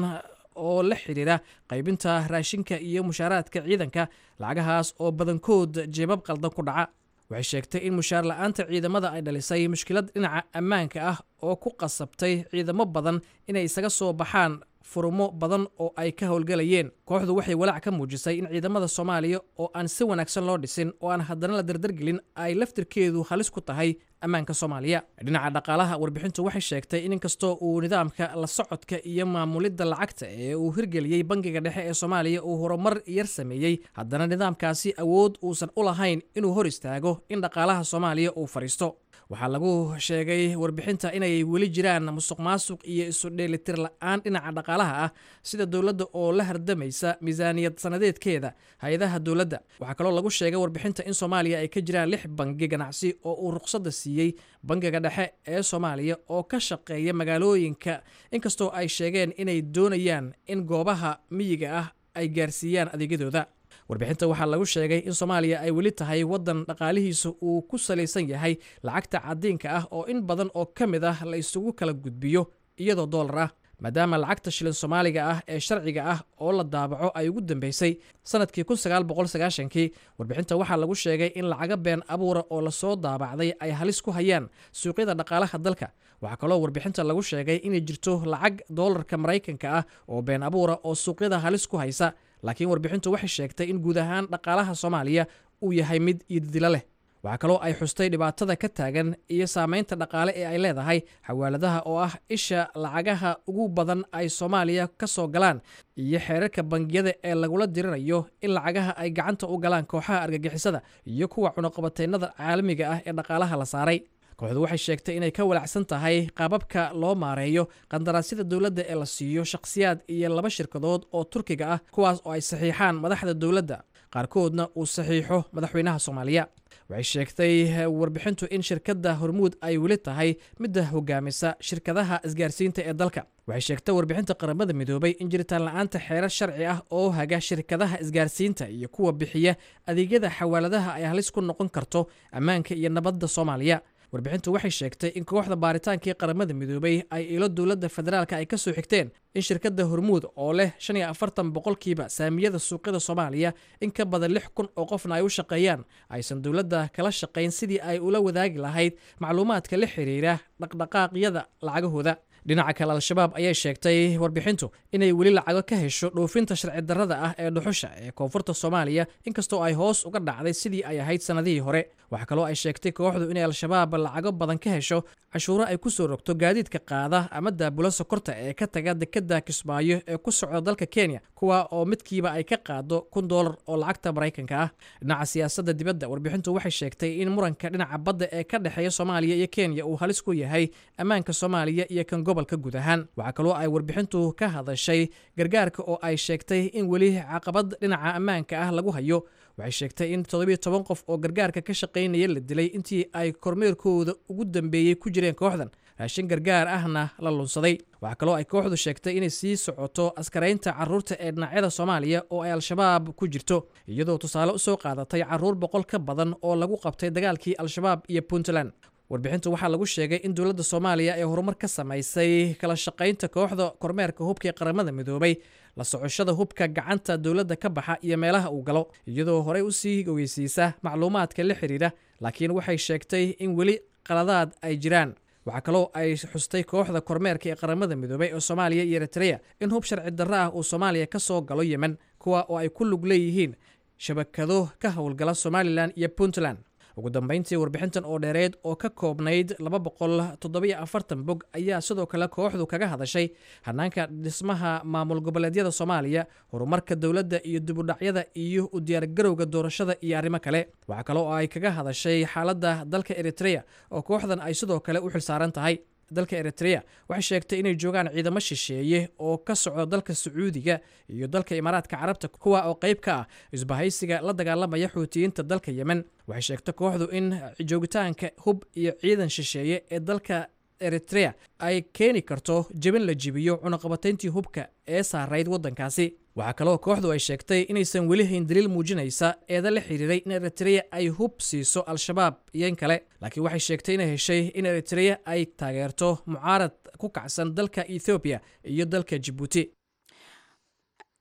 oo la xiriira qaybinta raashinka iyo mushaaraadka ciidanka, lacagahaas oo badankood jeebab qaldan ku dhaca. Waxay sheegtay in mushaar la-aanta ciidamada ay dhalisay mushkilad dhinaca ammaanka ah oo ku qasabtay ciidamo badan inay isaga soo baxaan furumo badan oo ay ka howlgalayeen. Kooxdu waxay walaac ka muujisay in ciidamada Soomaaliya oo aan si wanaagsan loo dhisin oo aan haddana la dardargelin ay laftirkeedu halis ku tahay ammaanka Soomaaliya. Dhinaca dhaqaalaha, warbixintu waxay sheegtay in inkastoo uu nidaamka la socodka iyo maamulidda lacagta ee uu hirgeliyey Bangiga Dhexe ee Soomaaliya uu horumar yar sameeyey, haddana nidaamkaasi awood uusan u lahayn inuu hor istaago in dhaqaalaha Soomaaliya uu fadhiisto. Waxaa lagu sheegay warbixinta inay weli jiraan musuq maasuq iyo isu dheelitir la-aan dhinaca dhaqaalaha ah, sida dowladda oo la hardamaysa miisaaniyad sanadeedkeeda hay-adaha dowladda. Waxaa kaloo lagu sheegay warbixinta in Soomaaliya ay ka jiraan 6 bangi ganacsi oo uu ruqsadda siiyey Bangiga Dhexe ee Soomaaliya oo ka shaqeeya magaalooyinka, inkastoo ay sheegeen inay doonayaan in goobaha miyiga ah ay gaarsiiyaan adeegyadooda. Warbixinta waxaa lagu sheegay in Soomaaliya ay weli tahay waddan dhaqaalihiisa uu ku salaysan yahay lacagta cadiinka ah oo in badan oo ka mid ah la isugu kala gudbiyo iyadoo doolar ah, maadaama lacagta shilin Soomaaliga ah ee sharciga ah oo la daabaco ay ugu dambeysay sanadkii 1990-kii. Warbixinta waxaa lagu sheegay in lacaga been abuura oo lasoo daabacday ay halis ku hayaan suuqyada dhaqaalaha dalka. Waxaa kaloo warbixinta lagu sheegay inay jirto lacag doolarka Maraykanka ah oo been abuura oo suuqyada halis ku haysa, laakiin warbixintu waxay sheegtay in guud ahaan dhaqaalaha Soomaaliya uu yahay mid iididilo leh. Waxaa kaloo ay xustay dhibaatada ka taagan iyo saameynta dhaqaale ee ay leedahay xawaaladaha oo ah isha lacagaha ugu badan ay Soomaaliya ka soo galaan, iyo xeerarka bangiyada ee lagula dirirayo in lacagaha ay gacanta u galaan kooxaha argagixisada iyo kuwa cunuqabateynada caalamiga ah ee dhaqaalaha la saaray. Kooxdu waxay sheegtay inay ka walacsan tahay qaababka loo maareeyo qandaraasyada dowladda ee la siiyo shakhsiyaad iyo 2 shirkadood oo Turkiga ah, kuwaas oo ay saxiixaan madaxda dowladda, qaarkoodna uu saxiixo madaxweynaha Soomaaliya. Waxay sheegtay warbixintu in shirkadda Hormuud ay weli tahay midda hogaamisa shirkadaha isgaarsiinta ee dalka. Waxay sheegtay warbixinta Qaramada Midoobay in jiritaan la-aanta xeerar sharci ah oo haga shirkadaha isgaarsiinta iyo kuwa bixiya adeegyada xawaaladaha ay halis ku noqon karto ammaanka iyo nabadda Soomaaliya. Warbixintu waxay sheegtay in kooxda baaritaankii Qaramada Midoobay ay ilo dowladda federaalka ay ka soo xigteen in shirkadda Hormuud oo leh 45% saamiyada suuqyada Soomaaliya, in ka badan 6000 oo qofna ay u shaqeeyaan, aysan dowladda kala shaqayn sidii ay ula wadaagi lahayd macluumaadka la xiriira dhaqdhaqaaqyada lacagahooda. Dhinaca kale, Al-Shabaab ayay sheegtay warbixintu inay weli lacago ka hesho dhoofinta sharci darrada ah ee dhuxusha ee koonfurta Soomaaliya, inkastoo ay hoos uga dhacday sidii ay ahayd sannadihii hore. Waxaa kaloo ay sheegtay kooxdu inay Al-Shabaab lacago badan ka hesho cashuuro ay ku soo rogto gaadiidka qaada ama daabula sokorta ee ka taga dekadda Kismaayo ee ku socda dalka Kenya, kuwa oo midkiiba ay ka qaado $1000 oo lacagta Maraykanka ah. Dhinaca siyaasadda dibadda, warbixintu waxay sheegtay in muranka dhinaca badda ee ka dhexeeya Soomaaliya iyo Kenya uu halis ku yahay ammaanka Soomaaliya iyo kan gobolka guud ahaan. Waxaa kaloo ay warbixintu ka hadashay gargaarka oo ay sheegtay in weli caqabad dhinaca ammaanka ah lagu hayo. Waxay sheegtay in 17 qof oo gargaarka ka shaqaynaya la dilay intii ay kormeerkooda ugu dambeeyey ku jireen kooxdan, raashin gargaar ahna la lunsaday. Waxaa kaloo ay kooxdu sheegtay inay sii socoto askaraynta carruurta ee dhinacyada Soomaaliya oo ay Al-Shabaab ku jirto, iyadoo tusaale usoo qaadatay carruur 100 ka badan oo lagu qabtay dagaalkii Al-Shabaab iyo Puntland. Warbixintu waxaa lagu sheegay in dowladda Soomaaliya ay horumar ka samaysay kala shaqaynta kooxda kormeerka hubka ee Qaramada Midoobay, la socoshada hubka gacanta dowladda ka baxa iyo meelaha uu galo, iyadoo horey usii ogeysiisa macluumaadka la xiriira, laakiin waxay sheegtay in weli qaladaad ay jiraan. Waxaa kaloo ay xustay kooxda kormeerka ee Qaramada Midoobay ee Soomaaliya iyo Eritrea in hub sharci darro ah uu Soomaaliya ka soo galo Yemen, kuwa oo ay ku lug leeyihiin shabakado ka howlgala Somalilan iyo Puntland. Ugu dambeyntii, warbixintan oo dheereed oo ka koobnayd 247 bog ayaa sidoo kale kooxdu kaga hadashay hanaanka dhismaha maamul goboleedyada Soomaaliya, horumarka dowladda iyo dibudhacyada iyo u diyaargarowga doorashada iyo arrimo kale. Waxaa kale oo ay kaga hadashay xaaladda dalka Eritrea oo kooxdan ay sidoo kale u xilsaaran tahay. Dalka Eritrea waxay sheegtay inay joogaan ciidamo shisheeye oo ka socda dalka Sacuudiga iyo dalka Imaaraadka Carabta, kuwa oo qayb ka ah isbahaysiga la dagaalamaya Xuutiyiinta dalka Yemen. Waxay sheegtay kooxdu in joogitaanka hub iyo ciidan shisheeye ee dalka Eritrea ay keeni karto jebin la jibiyo cunaqabatayntii hubka ee saarayd waddankaasi. Waxaa kaloo kooxdu ay sheegtay inaysan weli hayn daliil muujinaysa eeda la xiriiray in Eritrea ay hub siiso Al-Shabaab iyo in kale, laakiin waxay sheegtay inay heshay in Eritrea ay taageerto mucaarad ku kacsan dalka Ethoobiya iyo dalka Jibuuti.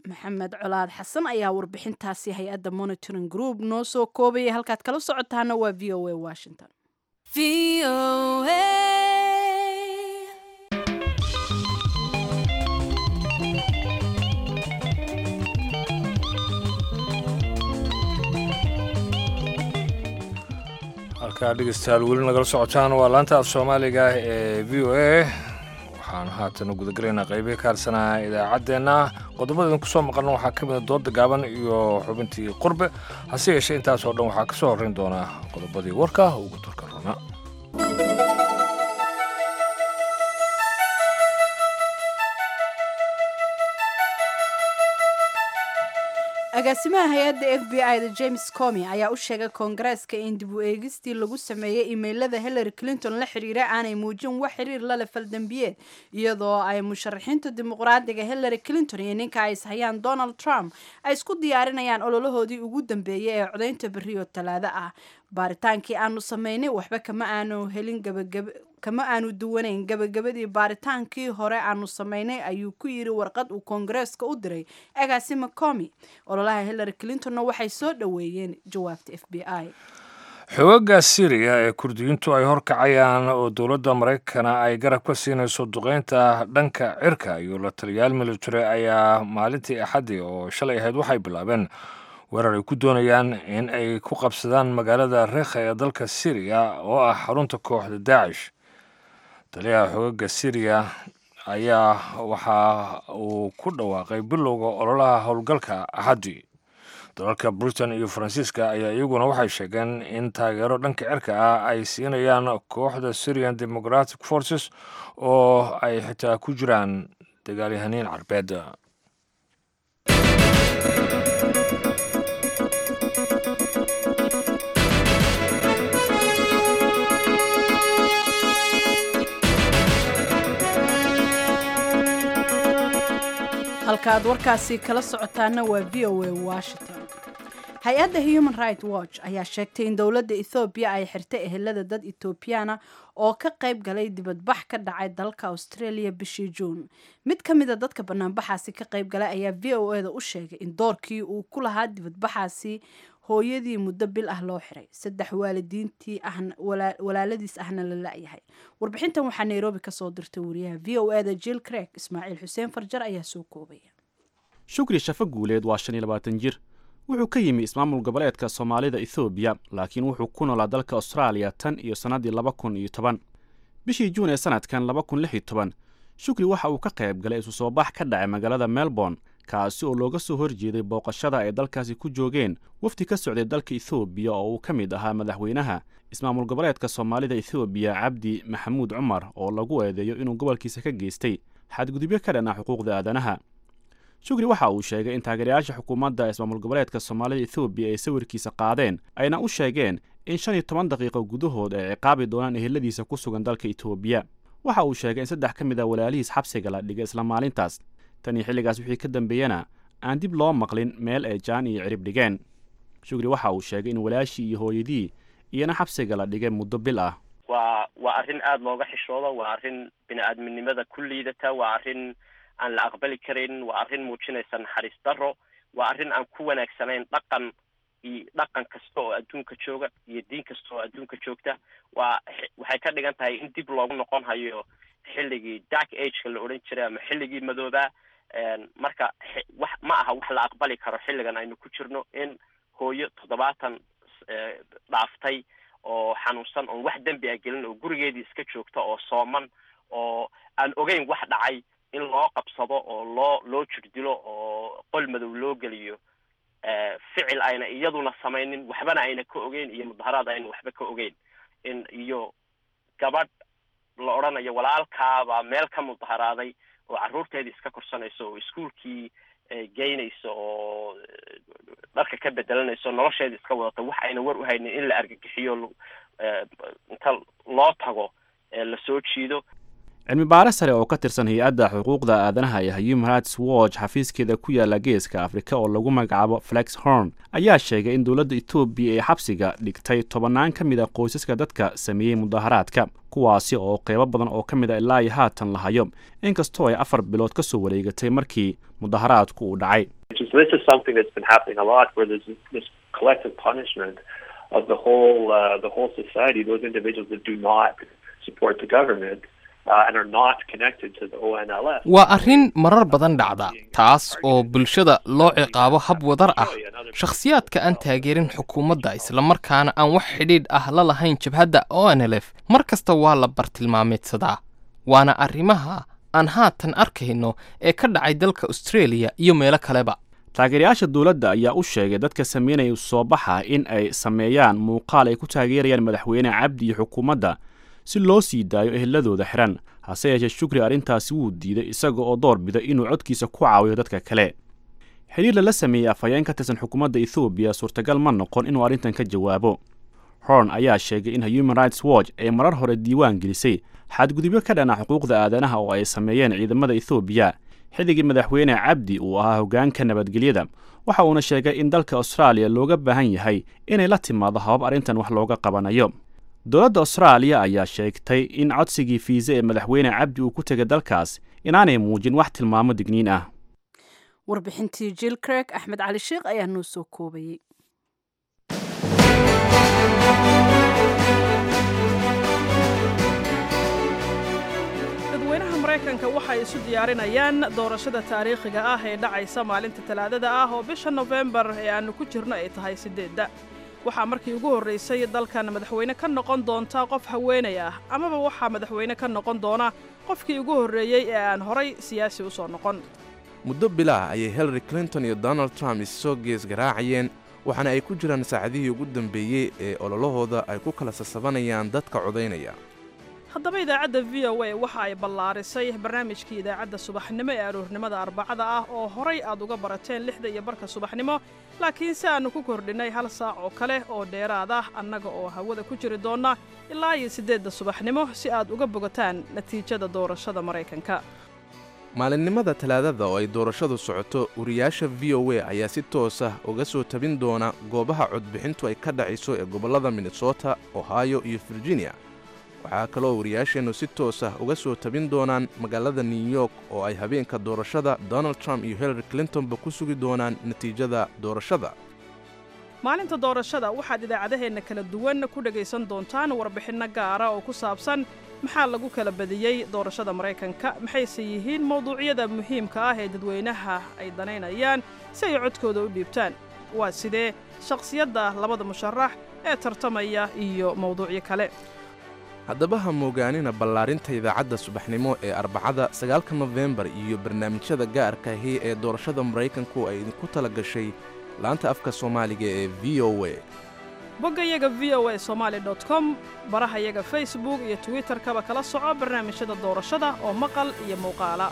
Maxamed Colaad Xasan ayaa warbixintaasi hay-adda Monitoring Group noo soo koobayay. Halkaad kala socotaana waa VOA Washington. Halkaa dhegeystayaal weli nagala socotaan waa laanta af Soomaaliga ee VOA. Waxaan haatan gudagalaynaa qeybihii ka harsanaa idaacaddeenna. Qodobada kusoo maqalna waxaa ka mida dooda gaaban iyo xubintii qurbe. Hase yeeshee, intaasoo dhan waxaa ka soo horreyn doonaa qodobadii warka ugu turka runa. Agaasimaha hay-adda FBI da James Comy ayaa u sheegay Koongareeska in dib u eegistii lagu sameeyey imailada Hillary Clinton la xiriira aanay muujin wax xiriir lale faldambiyeed, iyadoo ay musharaxiinta Dimuqraadiga Hillary Clinton iyo ninka ay ishayaan Donald Trump ay isku diyaarinayaan ololahoodii ugu dambeeyay ee codaynta berriyo Talaado ah. Baaritaankii aanu sameynay waxba kama aanu helin gabagab kama aanu duwanayn gabagabadii baaritaankii hore aanu sameynay, ayuu ku yiri warqad uu Koongareeska u diray agaasima Comy. Ololaha Hillary Clintonna waxay soo dhoweeyeen jawaabta FBI. Xoogagga Syriya ee Kurdiyiintu ay horkacayaan oo dowladda Maraykana ay garab ka siinayso duqeynta dhanka cirka iyo la taliyaal military ayaa maalintii Axaddii oo shalay ahayd waxay bilaabeen weerar ay ku doonayaan in ay ku qabsadaan magaalada Rekha ee dalka Syriya oo ah xarunta kooxda Daacish. Taliyaha xoogagga Syriya ayaa waxa uu ku dhawaaqay bilowga ololaha howlgalka Axaddii. Dalalka Britain iyo Faransiiska ayaa iyaguna waxay sheegeen in taageero dhanka cirka ah ay siinayaan kooxda Syrian Democratic Forces oo ay xitaa ku jiraan dagaalyahaniin Carbeed. Halka aad warkaasi kala socotaana waa VOA Washington. Hay-adda Human Right Watch ayaa sheegtay in dowladda Ethoobiya ay xirtay ehelada dad Ethoobiyaana oo ka qayb galay dibadbax ka dhacay dalka Australia bishii Juun. Mid ka mida dadka banaanbaxaasi ka qayb galay ayaa VOA da u sheegay in doorkii uu ku lahaa dibadbaxaasi Hooyadii muddo bil ah loo xiray, 3 waalidiintii ahna walaaladiis ahna la la-yahay. Warbixintan waxaa Nairobi kasoo dirtay wariyaha VOA-da Jill Craig. Ismaaciil Xuseen Farjar ayaa soo koobaya. Shukri Shafo Guuleed waa 25 jir. Wuxuu ka yimi ismaamul goboleedka Soomaalida Ethoobiya, laakiin wuxuu ku noolaa dalka Austraaliya tan iyo sannaddii 2010. Bishii Juun ee sanadkan 2016, Shukri waxa uu ka qayb galay isu soo bax ka dhacay magaalada Melbourne, kaasi oo looga soo horjeeday booqashada ay dalkaasi ku joogeen wafdi ka socday dalka Ethoobiya oo uu ka mid ahaa madaxweynaha ismaamul goboleedka Soomaalida Ethoobiya, Cabdi Maxamuud Cumar, oo lagu eedeeyo inuu gobolkiisa ka geystay xadgudubyo ka dhan ah xuquuqda aadanaha. Shukri waxa uu sheegay in taageerayaasha xukuumadda ismaamul goboleedka Soomaalida Ethoobiya ay sawirkiisa qaadeen, ayna u sheegeen in 15 daqiiqo gudahood ay ciqaabi doonaan eheladiisa ku sugan dalka Etoobiya. Waxa uu sheegay in 3 ka mid a walaalihiis xabsiga la dhigay isla maalintaas. Tan iyo xilligaas wixii ka dambeeyana aan dib loo maqlin meel ay jaan iyo cirib dhigeen. Shukri waxa uu sheegay in walaashii iyo hooyadii iyana xabsiga la dhigay muddo bil ah. Waa arrin aada looga xishoodo, waa arrin bini-aadminimada ku liidata, waa arrin aan la aqbali karin, waa arrin muujinaysa naxariis darro, waa arrin aan ku wanaagsanayn dhaqan iyo dhaqan kasta oo adduunka jooga iyo diin kasta oo adduunka joogta. Waa waxay ka dhigan tahay in dib loogu noqon hayo xilligii dark age-ka la odhan jiray ama xilligii madoobaa. Marka wax ma aha wax la aqbali karo xilligan aynu ku jirno in hooyo 70 dhaaftay oo xanuunsan, oon wax dembi ah gelin, oo gurigeedii iska joogta, oo sooman, oo aan ogeyn wax dhacay, in loo qabsado oo loo jirdilo oo qol madow loo geliyo, ficil ayna iyaduna samaynin, waxbana ayna ka ogeyn, iyo mudaharaad ayna waxba ka ogeyn, in iyo gabadh la odhanayo walaalkaabaa meel ka mudaharaaday oo carruurteedii iska korsanayso oo iskuulkii geynayso oo dharka ka bedelanayso, nolosheedii iska wadato, wax ayna war u haynin in la argagixiyo, inta loo tago lasoo jiido. Cilmi baare sare oo ka tirsan hay-adda xuquuqda aadanaha ee Human Rights Watch xafiiskeeda ku yaala Geeska Afrika oo lagu magacaabo Flex Horn ayaa sheegay in dowladda Etoobiya ay xabsiga dhigtay tobannaan ka mid a qoysaska dadka sameeyey mudaharaadka, kuwaasi oo qeybo badan oo ka mid a ilaa iyo haatan la hayo, inkastoo ay 4 bilood ka soo wareegatay markii mudaharaadku uu dhacay. This is something that's been happening a lot, where there's this collective punishment of the whole society, those individuals that do not support the government and are not connected to the ONLF. Waa arrin marar badan dhacda, taas oo bulshada loo ciqaabo hab wadar ah, shakhsiyaadka aan taageerin xukuumadda islamarkaana aan wax xidhiidh ah la lahayn jabhadda ONLF. Mar kasta waa la bartilmaameedsadaa, waana arrimaha aan haatan arkayno ee ka dhacay dalka Australia iyo meelo kaleba. Taageerayaasha dowladda ayaa u sheegay dadka sameynaya soo baxa in ay sameeyaan muuqaal ay ku taageerayaan madaxweyne Cabdi iyo xukuumadda si loo sii daayo eheladooda xiran. Hase yeeshee, Shukri arrintaasi wuu diiday, isaga oo door biday inuu codkiisa ku caawiyo dadka kale. Xiriir lala sameeyey afhayeen ka tirsan xukuumadda Ethoobiya suurtagal ma noqon inuu arrintan ka jawaabo. Horn ayaa sheegay in Human Rights Watch ay marar hore diiwaan gelisay xadgudubyo ka dhana xuquuqda aadanaha oo ay sameeyeen ciidamada Ethoobiya xilligii madaxweyne Cabdi uu ahaa hoggaanka nabadgelyada. Waxa uuna sheegay in dalka Austraaliya looga baahan yahay inay la timaado habab arrintan wax looga qabanayo. Dowladda Austraaliya ayaa sheegtay in codsigii fiisa ee madaxweyne Cabdi uu ku tegay dalkaas inaanay muujin wax tilmaamo digniin ah. Warbixintii Jill Craig, Axmed Cali Sheekh ayaa noo soo koobayey. Dadweynaha Maraykanka waxay isu diyaarinayaan doorashada taariikhiga ah ee dhacaysa maalinta Talaadada ah oo bisha Nofembar ee aannu ku jirno ay tahay 8-da. Waxaa markii ugu horraysay dalkan madaxweyne ka noqon doonta qof haweenay ah, amaba waxaa madaxweyne ka noqon doona qofkii ugu horreeyey ee aan horay siyaasi u soo noqon. Muddo bilaah ayay Hillary Clinton iyo Donald Trump issoo gees garaacayeen, waxaana ay ku jiraan saacadihii ugu dambeeyey ee ololahooda ay ku kala sasabanayaan dadka codaynaya. Haddaba, idaacadda VOA waxa ay ballaarisay barnaamijkii idaacadda subaxnimo ee aroornimada Arbacada ah oo horay aad uga barateen 6:30 subaxnimo, laakiin si aannu ku kordhinnay hal saac oo kale oo dheeraad ah, annaga oo hawada ku jiri doonna ilaa iyo 8-da subaxnimo si aad uga bogataan natiijada doorashada Maraykanka. Maalinimada Talaadada oo ay doorashadu socoto, wariyaasha VOA ayaa si toos ah uga soo tabin doona goobaha codbixintu ay ka dhacayso ee gobollada Minnesota, Ohio iyo Virginia. Waxaa kaloo wariyaasheennu si toos ah uga soo tabin doonaan magaalada New York oo ay habeenka doorashada Donald Trump iyo Hillary Clintonba ku sugi doonaan natiijada doorashada. Maalinta doorashada waxaad idaacadaheenna kala duwan ku dhegaysan doontaan warbixinno gaara oo ku saabsan maxaa lagu kala badiyey doorashada Maraykanka, maxayse yihiin mawduucyada muhiimka ah ee dadweynaha ay danaynayaan si ay codkooda u dhiibtaan, waa sidee shakhsiyadda labada musharax ee tartamaya iyo mawduucyo kale. Haddaba ha moogaanina ballaarinta idaacadda subaxnimo ee Arbacada 9-ka Nofembar iyo barnaamijyada gaarka ahi ee doorashada Maraykanku ay idinku tala gashay laanta afka Soomaaliga ee V O A. Boggayaga V O A Somali com, barahayaga Facebook iyo Twitterkaba kala soco barnaamijyada doorashada oo maqal iyo muuqaala.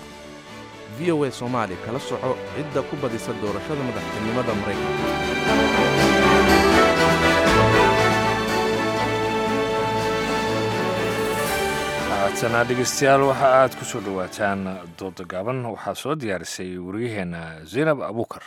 V O A Soomaali kala soco cidda ku badisa doorashada madaxtinimada Maraykanka. Haatana dhegeystayaal, waxa aad ku soo dhowaataan dooda gaaban. Waxaa soo diyaarisay wariyaheenna Zaynab Abuukar.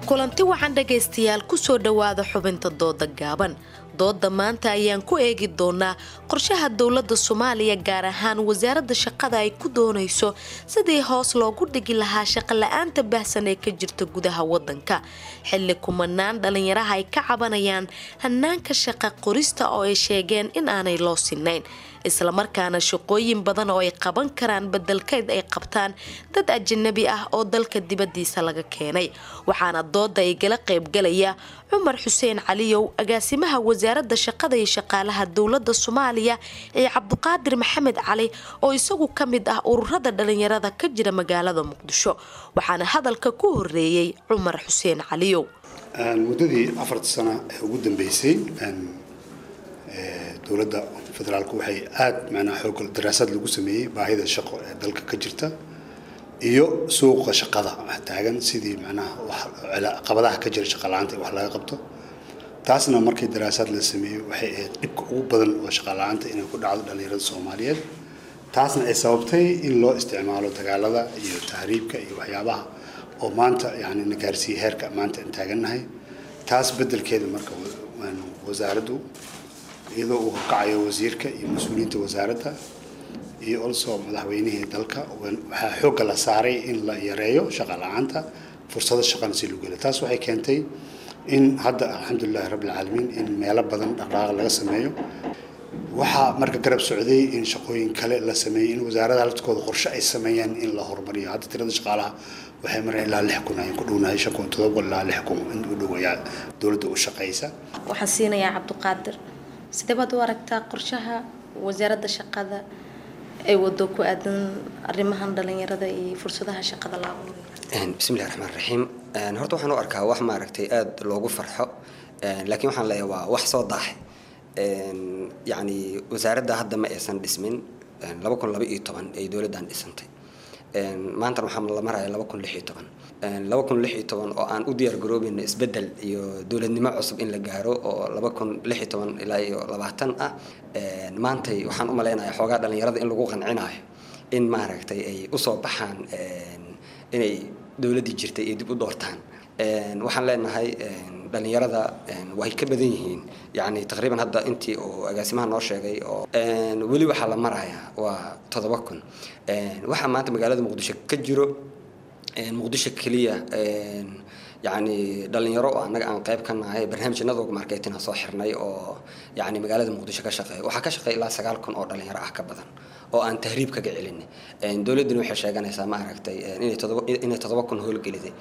Kulanti wacan dhegaystayaal, kusoo dhowaada xubinta dooda gaaban. Dooda maanta ayaan ku eegi doonaa qorshaha dowladda Soomaaliya, gaar ahaan wasaaradda shaqada, ay ku doonayso sidii hoos loogu dhigi lahaa shaqo la-aanta baahsan ee ka jirta gudaha wadanka, xilli kumanaan dhalinyaraha ay ka cabanayaan hanaanka shaqa qorista oo ay sheegeen in aanay loo sinayn, islamarkaana shaqooyin badan oo ay qaban karaan bedelkeed ay qabtaan dad ajanabi ah oo dalka dibadiisa laga keenay. Waxaana dooda igala qaybgalaya Cumar Xuseen Caliyow, agaasimaha wasaaradda shaqada iyo shaqaalaha dowladda Soomaaliya, iyo Cabdiqaadir Maxamed Cali oo isagu ka mid ah ururada dhalinyarada ka jira magaalada Muqdisho. Waxaana hadalka ku horeeyey Cumar Xuseen Caliyow. Muddadii 4-ta sano ee ugu dambeysay, dowladda federaalku waxay aada macnaha xoog daraasad lagu sameeyey baahida shaqo ee dalka ka jirta iyo suuqa shaqada taagan, sidii macnaha caqabadaha ka jira shaqa la-aanta wax laga qabto. Taasna markii daraasaad la sameeyey, waxay ahayd dhibka ugu badan oo shaqa la-aanta inay ku dhacdo dhalinyarada Soomaaliyeed, taasna ay sababtay in loo isticmaalo dagaalada iyo tahriibka iyo waxyaabaha oo maanta yani na gaarsiiyey heerka maanta aan taagannahay. Taas beddelkeeda marka wasaaraddu, iyadoo uu horkacayo wasiirka iyo mas-uuliyiinta wasaaradda iyo also madaxweynihii dalka, waxaa xoogga la saaray in la yareeyo shaqa la-aanta, fursado shaqana si lagu helo. Taas waxay keentay in hadda, alxamdulilahi rabbilcaalamiin, in meelo badan dhaqdhaqaaq laga sameeyo. Waxaa marka garab socday in shaqooyin kale la sameeyey, in wasaaradaha laftkooda qorshe ay sameeyaan in la horumariyo. Hadda tirada shaqaalaha waxay mareen ilaa 6000 ayaan ku dhownahay, 5700 ilaa 6000 in u dhow ayaa dowladda u shaqeysa. Waxaan siinayaa Cabdiqaadir. Sidee baad u aragtaa qorshaha wasaaradda shaqada ay wado ku aadan arrimahan dhalinyarada iyo fursadaha shaqada la abuurayo? Bismillahi raxmaan raxiim. Horta waxaan u arkaa wax maaragtay aada loogu farxo, laakiin waxaan leeyahay waa wax soo daahay. Yacni wasaaradda hadda ma aysan dhismin, 2012 ay dowladdan dhisantay, maantana waxaa la maraya 2016. 2016 oo aan u diyaar garoobayno isbeddel iyo dowladnimo cusub in la gaaro oo 2016 ilaa iyo 20 ah, maantay waxaan u malaynayaa xoogaa dhalinyarada in lagu qancinayo in maaragtay ay usoo baxaan inay dowladdii jirtay ay dib u doortaan. Waxaan leenahay dhalinyarada way ka badan yihiin, yacni taqriiban hadda intii uu agaasimaha noo sheegay oo weli waxaa la marayaa waa 7000. Waxaa maanta magaalada Muqdisho ka jiro, Muqdisho keliya, yacni dhalinyaro oo annaga aan qayb ka nahay barnaamijyanada marketing soo xirnay oo yacni magaalada Muqdisho ka shaqeeya, waxaa ka shaqeeya ilaa 9000 oo dhalinyaro ah ka badan oo aan tahriib kaga celinay. Dowladduna waxay sheeganaysaa ma aragtay inay 7000 howlgeliday.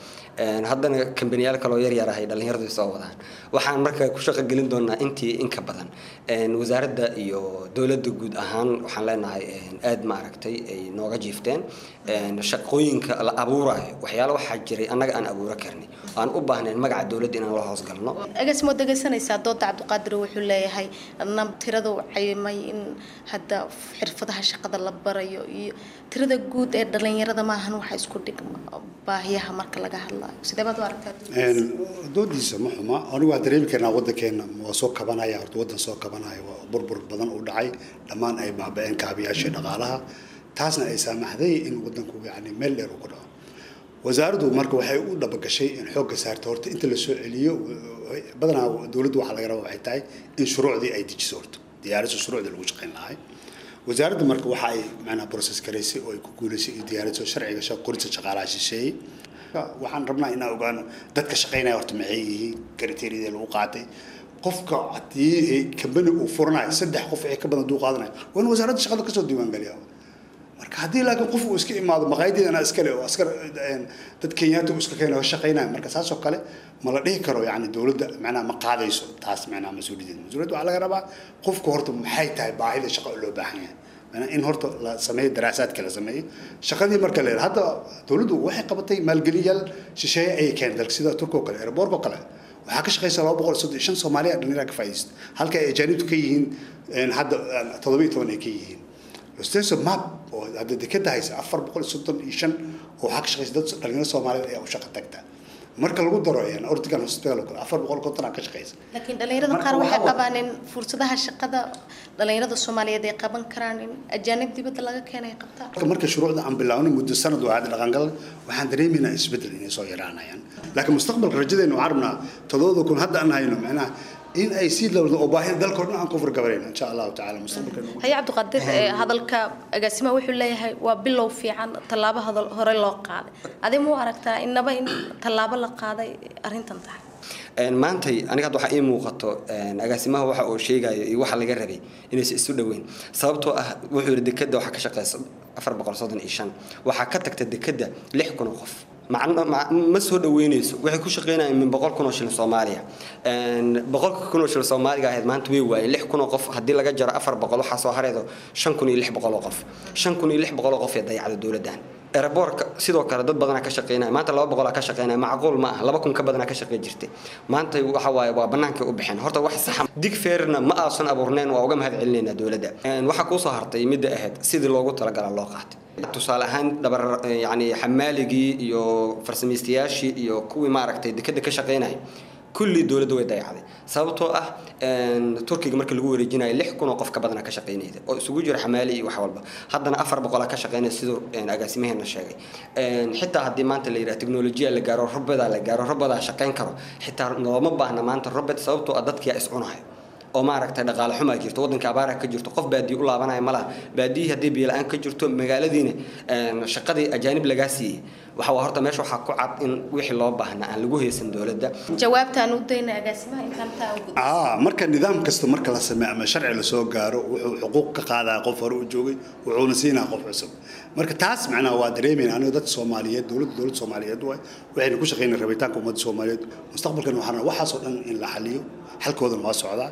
Haddana kambaniyaal kaloo yar yar ahay dhalinyaradu soo wadaan. Waxaan marka ku shaqo gelin doonaa intii in ka badan. Wasaaradda iyo dowladda guud ahaan waxaan leenahay aad ma aragtay ay nooga jiifteen shaqooyinka la abuurayo. Waxyaalo waxaa jiray annaga aan abuura karnay, aan u baahnayn magaca dowladda inaan la hoosgalno. Agaasimo, dhegaysanaysaa dooda Cabdiqaadir. Wuxuu leeyahay tirada uu cayimay in hadda xirfadaha shaqada la barayo iyo tirada guud ee dhalinyarada maahan waxa isku dhigma baahiyaha marka laga hadlayo. Sidee baad u aragtaa? Doodiisa ma xuma. Anigu waa dareemi karnaa waddankeena waa soo kabanaya. Horta waddan soo kabanaya waa burbur badan u dhacay, dhammaan ay baaba-een kaabiyaashii dhaqaalaha, taasna ay saamaxday in waddanku yacni meel dheer uu ku dhaco. Wasaaraddu marka waxay u dhabagashay in xoogga saarto horta inta la soo celiyo. Badanaa dowladdu waxaa laga rabaa waxay tahay in shuruucdii ay dejiso, horta diyaariso shuruucdii lagu shaqayn lahay. Wasaaradda marka waxa ay macnaha process garaysay oo ay ku guulaysay iyo diyaariso sharciga qorista shaqaalaha shisheeye. Waxaan rabnaa inaan ogaano dadka shaqaynaya horta maxay yihiin, criteria lagu qaatay. Qofka haddii company uu furanayo 3 qof ee ka badan duu qaadanayo, waa in wasaaradda shaqada kasoo diiwaangeliyaa. Marka haddii laakiin qof uu iska imaado maqaayadeedana iskale oo askar dad Kenyaata uu iska keeno shaqaynaya, marka saas oo kale ma la dhihi karo, yacni dowladda macnaha ma qaadayso taas macnaha mas-uuliyaddeeda. Mas-uuliyadda waxaa laga rabaa qofka horta maxay tahay baahida shaqo oo loo baahan yahay, macnaha in horta la sameeyo daraasaadka la sameeyo shaqadii. Marka la yidhaha hadda dowladdu waxay qabatay maalgeliyaal shisheeye ayay keentay dalka, sida Turka oo kale, airportka oo kale waxaa ka shaqeysa 235 Soomaaliya dhalinyara ka faa'iidaysta, halka ay ajaanibtu ka yihiin hadda 17 ay ka yihiin. Losteso map oo hadda dekeda haysa 435 oo waxaa ka shaqeysa dad dhalinyaro Soomaaliyeed ayaa u shaqo tagta. Marka lagu daro Ortigan Hospital oo kale 450 ka shaqeysa. Laakiin dhalinyarada qaar waxay qabaan in fursadaha shaqada dhalinyarada Soomaaliyeed ay qaban karaan in ajaanib dibadda laga keenay qabtaan. Marka shuruucda aan bilaawno muddo sanad waa hadda dhaqangal, waxaan dareemaynaa isbeddel inay soo yaraanayaan. Laakiin mustaqbalka rajadeena waxaan rabnaa 7,000 hadda aan hayno macnaha in ay sii lawdo oo baahida dalka oo dhan aan ku furgabarayno insha Allahu tacaala mustaqbalka. Haya Cabdiqaadir, hadalka agaasimaha wuxuu leeyahay waa bilow fiican, tallaabo hadal hore loo qaaday. Adee muu aragtaa innaba in tallaabo la qaaday arrintan tahay? Maantay aniga hadda waxaa ii muuqato agaasimaha waxa uu sheegayo iyo waxa laga rabay inaysan isu dhoweyn, sababtoo ah wuxuu yidhi dekadda waxaa ka shaqeysa 435, waxaa ka tagta dekadda 6,000 oo qof. Ma soo dhaweynayso, waxay ku shaqeynayaan min 100,000 oo shilin Soomaaliya. 100,000 oo shilin Soomaaliga ahayd maanta way waayeen. 6,000 oo qof haddii laga jaro 400, waxaa soo haraydo 5,600 oo qof. 5,600 oo qof ee dayacda dowladdan. Airportka sidoo kale dad badanaa ka shaqeynaya, maanta 200 ka shaqeynaya, macquul ma aha, 2,000 ka badanaa ka shaqey jirtay. Maanta waxa waaye waa bannaankay u baxeen. Horta wax saxa dig feerna ma aasan abuurnayn, waa uga mahad celinaynaa dowladda. Waxaa kuu soo hartay midda ahayd sidii loogu talagalaa loo qaatay. Tusaale ahaan dhabar yacni xamaaligii iyo farsamaystayaashii iyo kuwii maaragtay dekadda ka shaqeynaya kulli dowladda way dayacday, sababtoo ah Turkiga markii lagu wareejinayo 6,000 oo qof ka badanaa ka shaqeynayda oo isugu jira xamaali iyo wax walba, haddana 400 ka shaqeynaya siduu agaasimaheena sheegay. Xitaa haddii maanta la yidhaha teknolojiya la gaaro, robodaa la gaaro, robodaa shaqeyn karo, xitaa looma baahna maanta robot, sababtoo ah dadkiyaa is cunayo oo maaragtay dhaqaale xumaa jirto, waddanka abaaraha ka jirto, qof baadiye u laabanaya malaha. Baadiyihii haddii biyo la-aan ka jirto, magaaladiina shaqadii ajaanib lagaa siiyey, waxa waa horta meesha waxaa ku cad in wixii loo baahnaa aan lagu haysan dowladda. Jawaabtaan u dayna agaasimaha intaan taa ugu Marka nidaam kasta marka la sameeyo ama sharci la soo gaaro, wuxuu xuquuq ka qaadaa qof hore u joogay, wuxuuna siinaa qof cusub. Marka taas macnaha waa dareemayna aniga dadka Soomaaliyeed, dowladda Soomaaliyeed waay, waxayna ku shaqeynaa rabitaanka ummadda Soomaaliyeed. Mustaqbalkan waxaan waxaas oo dhan in la xaliyo, xalkoodana waa socdaa.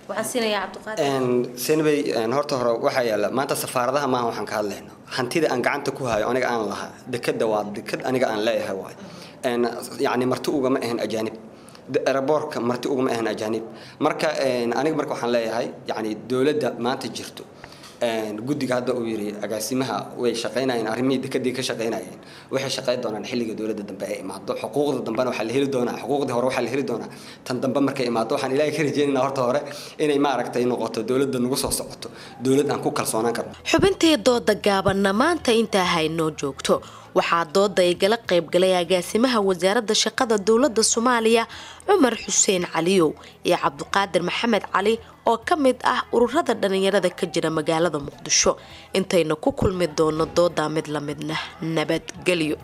Waxaan siinayaa Cabdiqaadir. Senabey, horta hore waxaa yaala maanta safaaradaha maaha waxaan ka hadlayno hantida aan gacanta ku hayo aniga aan lahaa. Dekadda waa dekad aniga aan leeyahay waay, yacni marti ugama ahan ajaanib, airportka marti ugama ahan ajaanib. Marka aniga marka waxaan leeyahay yacni dowladda maanta jirto, guddiga hadda uu yidhi agaasimaha way shaqaynayeen, arrimihii dekadii ka shaqaynayeen, waxay shaqayn doonaan xilliga dowladda dambe ay imaado. Xuquuqda dambena waxaa la heli doonaa, xuquuqdii hore waxaa la heli doonaa tan dambe markay imaado. Waxaan Ilaahay ka rajeynaynaa horta hore inay maaragtay noqoto dowladda nagu soo socoto dowlad aan ku kalsoonaan karno. Xubintee dooda gaabanna maanta intaa haynoo joogto. Waxaa dooda igala qaybgalay agaasimaha wasaaradda shaqada dowladda Soomaaliya Cumar Xuseen Caliyow iyo Cabdiqaadir Maxamed Cali oo ka mid ah ururada dhalinyarada ka jira magaalada Muqdisho. Intayna ku kulmi doono doodaa mid la midna, nabadgelyo.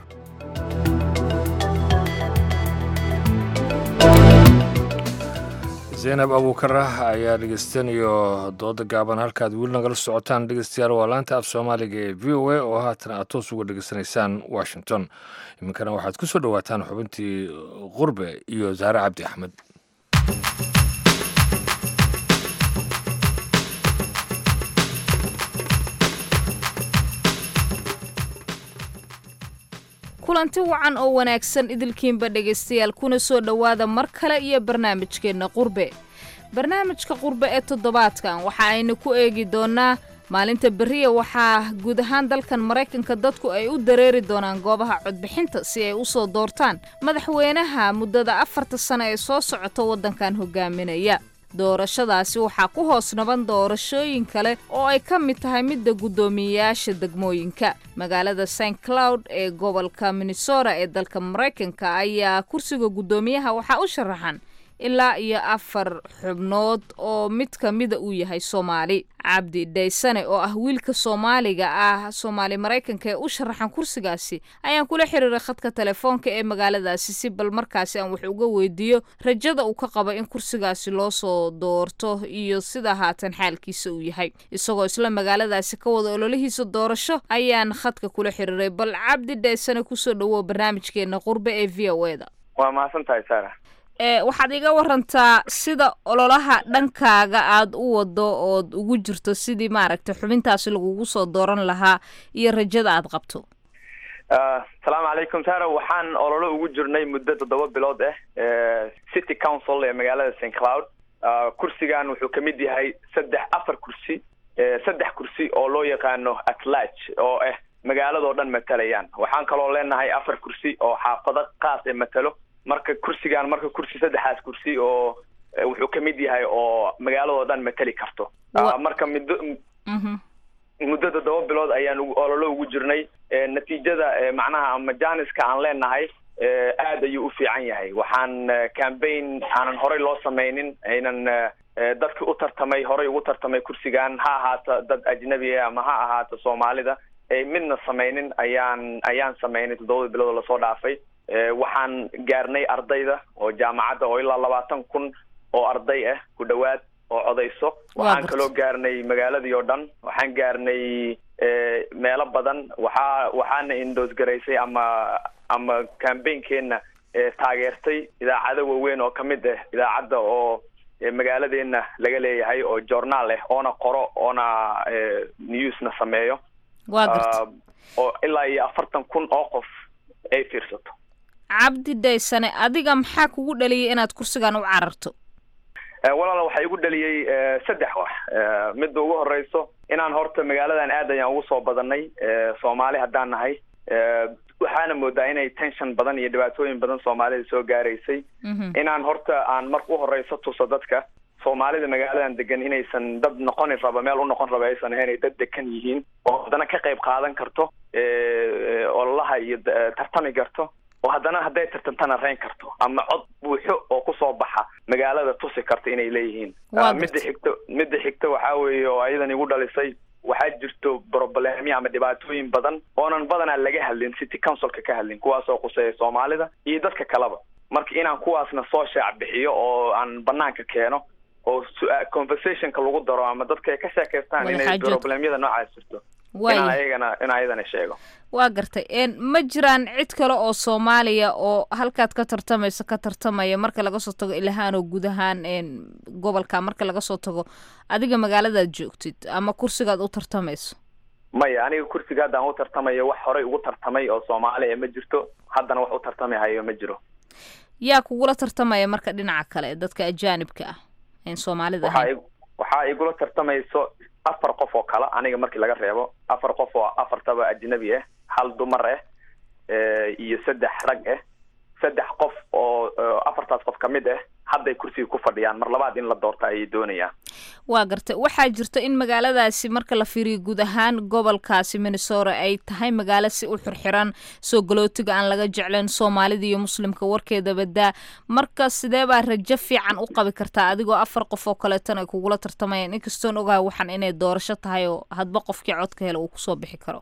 Zaynab Abuukarah ayaa dhegeystanayo dooda gaaban. Halkaad weli nagala socotaan dhegeystayaal waa laanta af Soomaaliga ee VOA oo haatan aad toos uga dhegeysanaysaan Washington. Iminkana waxaad ku soo dhowaataan xubintii Qurbe iyo Saare Cabdi Axmed. Kulanti wacan oo wanaagsan idilkiinba dhegaystayaal, kuna soo dhowaada mar kale iyo barnaamijkeenna Qurbe. Barnaamijka Qurbe ee toddobaadkan waxa aynu ku eegi doonnaa maalinta berriya waxaa guud ahaan dalkan Maraykanka dadku ay u dareeri doonaan goobaha codbixinta si ay u soo doortaan madaxweynaha muddada 4ta sano ee soo socota waddankan hogaaminaya. Doorashadaasi waxaa ku hoos naban doorashooyin kale oo ay ka mid tahay midda guddoomiyeyaasha degmooyinka. Magaalada St Cloud ee gobolka Minnesota ee dalka Maraykanka ayaa kursiga guddoomiyaha waxaa u sharaxan ilaa iyo 4 xubnood oo mid ka mida uu yahay Soomaali. Cabdi Dhaysane oo ah wiilka Soomaaliga ah, Soomaali Maraykanka ee u sharaxan kursigaasi, ayaan kula xiriiray khadka telefoonka ee magaaladaasi si bal markaasi aan wax uga weydiiyo rajada uu ka qabo in kursigaasi loo soo doorto iyo sida haatan xaalkiisa uu yahay. Isagoo isla magaaladaasi ka wada ololihiisa doorasho ayaan khadka kula xiriiray. Bal Cabdi Dhaysane, kusoo dhawow barnaamijkeena Qurbe ee VOA-da. Waa mahadsan tahay, Sara. Waxaad iga warantaa sida ololaha dhankaaga aada u wado ood ugu jirto sidii maaragtay xubintaasi lagugu soo dooran lahaa iyo rajada aad qabto. Asalaamu calaykum, Sara. Waxaan ololo ugu jirnay muddo 7 bilood ah City Council ee magaalada St. Cloud. Kursigan wuxuu kamid yahay saddex, afar kursi, 3 kursi oo loo yaqaano at large oo ah magaaladoo dhan matalayaan. Waxaan kaloo leenahay 4 kursi oo xaafado qaas ee matalo. Marka kursigan, marka kursi saddexaas kursi oo wuxuu kamid yahay oo magaaladoo dhan matali karto. Marka muddo 7 bilood ayaan ololo ugu jirnay. Natiijada macnaha ama janiska aan leenahay aad ayuu u fiican yahay. Waxaan campaign aanan horey loo sameynin, aynan dadki u tartamay, horey ugu tartamay kursigan, ha ahaato dad ajnabi ah ama ha ahaato Soomaalida, ay midna sameynin ayaan sameynay 7 bilood oo lasoo dhaafay. Waxaan gaarnay ardayda oo jaamacadda oo ilaa 20,000 oo arday ah ku dhowaad oo codayso. Waxaan kaloo gaarnay magaaladii oo dhan. Waxaan gaarnay meelo badan. Waxaana endorse garaysay ama campaign-keena taageertay idaacado waaweyn oo kamid ah idaacadda oo magaaladeena laga leeyahay oo journaal ah oona qoro oona newsna sameeyo. Waa garta. Oo ilaa iyo 40,000 oo qof ay fiirsato. Cabdi Dhaysane, adiga maxaa kugu dhaliyay inaad kursigan u cararto? Walaala, waxaa igu dhaliyey saddex wax. Midda ugu horeyso, inaan horta magaaladan aad ayaan ugu soo badanay Soomaali haddaan nahay. Waxaana moodaa inay tension badan iyo dhibaatooyin badan Soomaalida soo gaaraysay. Inaan horta aan marka u horeyso tuso dadka Soomaalida magaaladan degan inaysan dad noqoni raba, meel u noqon raba aysan ahayn, ay dad degan yihiin oo haddana ka qayb qaadan karto ololaha iyo tartami karto, oo haddana hadday tartantana reyn karto ama cod buuxo oo kusoo baxa magaalada tusi karto inay leeyihiin. Midda xigto waxaa weeye oo ayadan igu dhalisay, waxaa jirto problemyo ama dhibaatooyin badan oonan badanaa laga hadlin, city councilka ka hadlin, kuwaasoo quseeya Soomaalida iyo dadka kaleba. Marka inaan kuwaasna soo shaac bixiyo oo aan banaanka keeno oo conversationka lagu daro ama dadka ay ka sheekaystaan inay problemyada noocaas jirto, inaan ayagana in ayadana sheego. Waa gartay. Ma jiraan cid kale oo Soomaaliya oo halkaad ka tartamayso ka tartamaya, marka laga soo tago Ilahaan oo guud ahaan gobolka, marka laga soo tago adiga magaaladaad joogtid ama kursigaad u tartamayso? Maya, aniga kursiga hadda aan u tartamayo wax horey ugu tartamay oo Soomaaliya ma jirto, haddana wax u tartami hayo ma jiro. Yaa kugula tartamaya marka dhinaca kale, dadka ajaanibka ah een Soomaalida ahayn? Waxaa igula tartamayso 4 qof oo kale aniga markii laga reebo, 4 qof oo afartaba ajnabi ah, hal dumar ah iyo 3 rag ah. 3 qof oo afartaas qof kamid ah hadday kursiga ku fadhiyaan, mar labaad in la doorta ayay doonayaan. Waa gartay. Waxaa jirta in magaaladaasi, marka la fiiriyo guud ahaan gobolkaasi Minnesota, ay tahay magaalo si u xirxiran, soo galootiga aan laga jeclayn, Soomaalida iyo Muslimka warkeeda badaa. Marka sidee baa rajo fiican u qabi kartaa adigoo 4 qof oo kaleetana ay kugula tartamayaan, inkastoon ogahay waxaan inay doorasho tahay oo hadba qofkii codka hela uu kusoo bixi karo?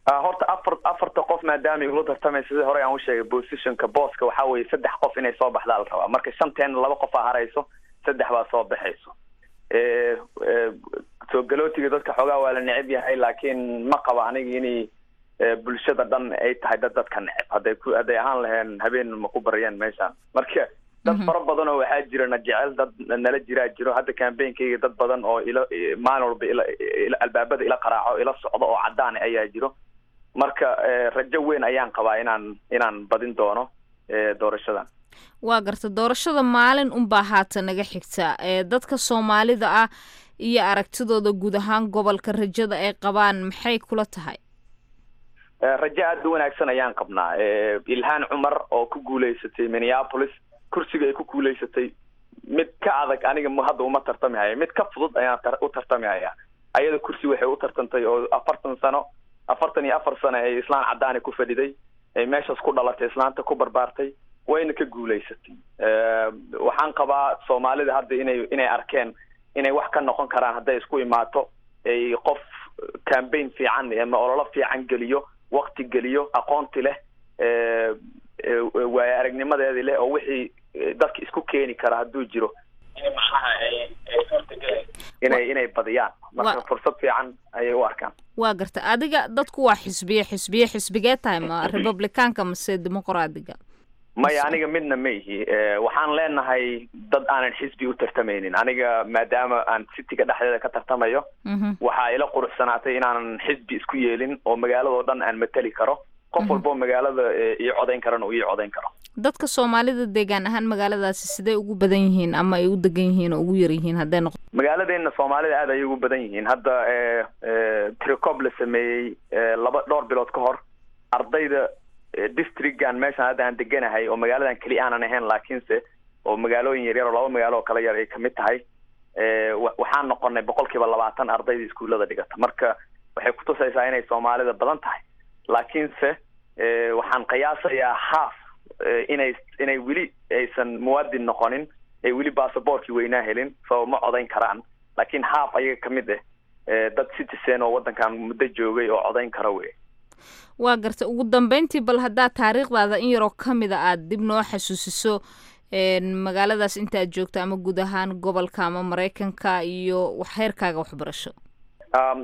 Horta afarta qof maadaama igula tartamaysa, sida hore aan u sheegay, positionka booska waxaa weeye 3 qof inay soo baxdaa la rabaa. Marka shanteena laba qof aa harayso, 3 baa soo baxayso. Soo galootiga dadka xoogaa waa la neceb yahay, laakiin ma qaba aniga inay bulshada dhan ay tahay dad dadka neceb. Hadday ahaan laheen habeen ma ku baryeen meeshaan. Marka dad fara badan oo waxaa jira na jecel, dad nala jiraa jiro. Hadda campaignkayga dad badan oo ila maalin walba ila albaabada ila qaraaco, ila socdo oo cadaan ayaa jiro. Marka rajo weyn ayaan qabaa inaan badin doono doorashadan. Waa garta. Doorashada maalin unbaa haatan naga xigta. Dadka Soomaalida ah iyo aragtidooda guud ahaan gobolka, rajada ay qabaan maxay kula tahay? Rajo aada u wanaagsan ayaan qabnaa. Ilhaan Cumar oo ku guuleysatay Minneapolis, kursiga ay ku guuleysatay mid ka adag aniga hadda uma tartami haya, mid ka fudud ayaan u tartami hayaa. Ayada kursi waxay u tartantay oo 40 sano, 44 sano ay islaan caddaani ku fadhiday, ay meeshaas ku dhalatay, islaanta ku barbaartay. Wayna ka guulaysatay. Waxaan qabaa Soomaalida hadda inay arkeen inay wax ka noqon karaan hadday isku imaato, ay qof campaign fiican ama ololo fiican geliyo, waqti geliyo, aqoonti leh, waayo aragnimadeedii leh, oo wixii dadka isku keeni kara hadduu jiro, in macnaha ay suurtagelayso inay badiyaan. Marka fursad fiican ayay u arkaan. Waa garta. Adiga dadku waa xisbiye, xisbiye, xisbigee tahay? Ma Republicaanka mase Dimuqraadiga? Maya, aniga midna ma ihi. Waxaan leenahay dad aanan xisbi u tartamaynin. Aniga maadaama aan cityga dhexdeeda ka tartamayo, waxaa ila quruxsanaatay inaanan xisbi isku yeelin oo magaaladoo dhan aan matali karo, qof walboo magaalada ii codayn karana uu ii codayn karo. Dadka Soomaalida deegaan ahaan magaaladaasi sidee ugu badan yihiin ama ay u degan yihiin oo ugu yar yihiin hadday noqo? Magaaladeena Soomaalida aad ayay ugu badan yihiin. Hadda tirakoob la sameeyey laba dhowr bilood ka hor, ardayda districtgan meeshaan hadda aan deganahay, oo magaaladan keli aanan ahayn laakiinse oo magaalooyin yaryar oo laba magaalo oo kala yar ay kamid tahay, waxaan noqonay 20% ardayda iskuullada dhigata. Marka waxay kutusaysaa inay Soomaalida badan tahay, laakiinse waxaan qiyaasayaa half inay weli aysan muwaadin noqonin, ay weli basaboorkii weynaa helin, so ma codayn karaan. Laakiin half ayaga kamid ah dad citizen oo waddankan muddo joogay oo codayn kara wey. Waa garta. Ugu dambeyntii, bal haddaad taariikhdaada in yaroo ka mida aada dib noo xasuusiso, magaaladaas intaad joogto ama guud ahaan gobolka ama Maraykanka, iyo heerkaaga waxbarasho.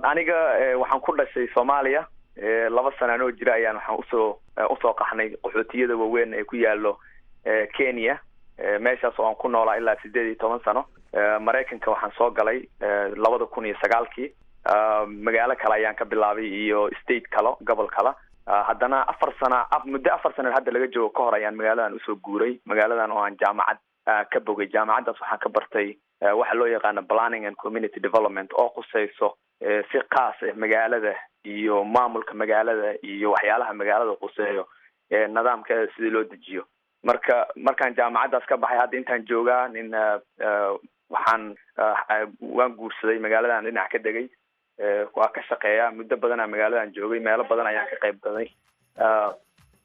Aniga waxaan ku dhashay Soomaaliya. 2 sana anoo jira ayaan waxaan usoo qaxnay qaxootiyada waaweyn ee ku yaalo Kenya, meeshaas oo aan ku noolaa ilaa 18 sano. Maraykanka waxaan soo galay 2009-kii. Magaalo kale ayaan ka bilaabay iyo state kale, gobol kale. Haddana 4 sana, muddo 4 sana hadda laga joogo ka hor ayaan magaaladan usoo guuray, magaaladan oo aan jaamacad ka bogay. Jaamacaddaas waxaan ka bartay waxa loo yaqaano planning and community development, oo quseyso si khaas ah magaalada iyo maamulka magaalada iyo waxyaalaha magaalada quseeyo, nidaamkeeda sidii loo dejiyo. Marka markaan jaamacaddaas ka baxay, hadda intaan joogaa nin waxaan waan guursaday, magaaladan dhinac ka degay, waa ka shaqeeya. Muddo badanaa magaaladan joogay, meelo badan ayaan ka qayb galay.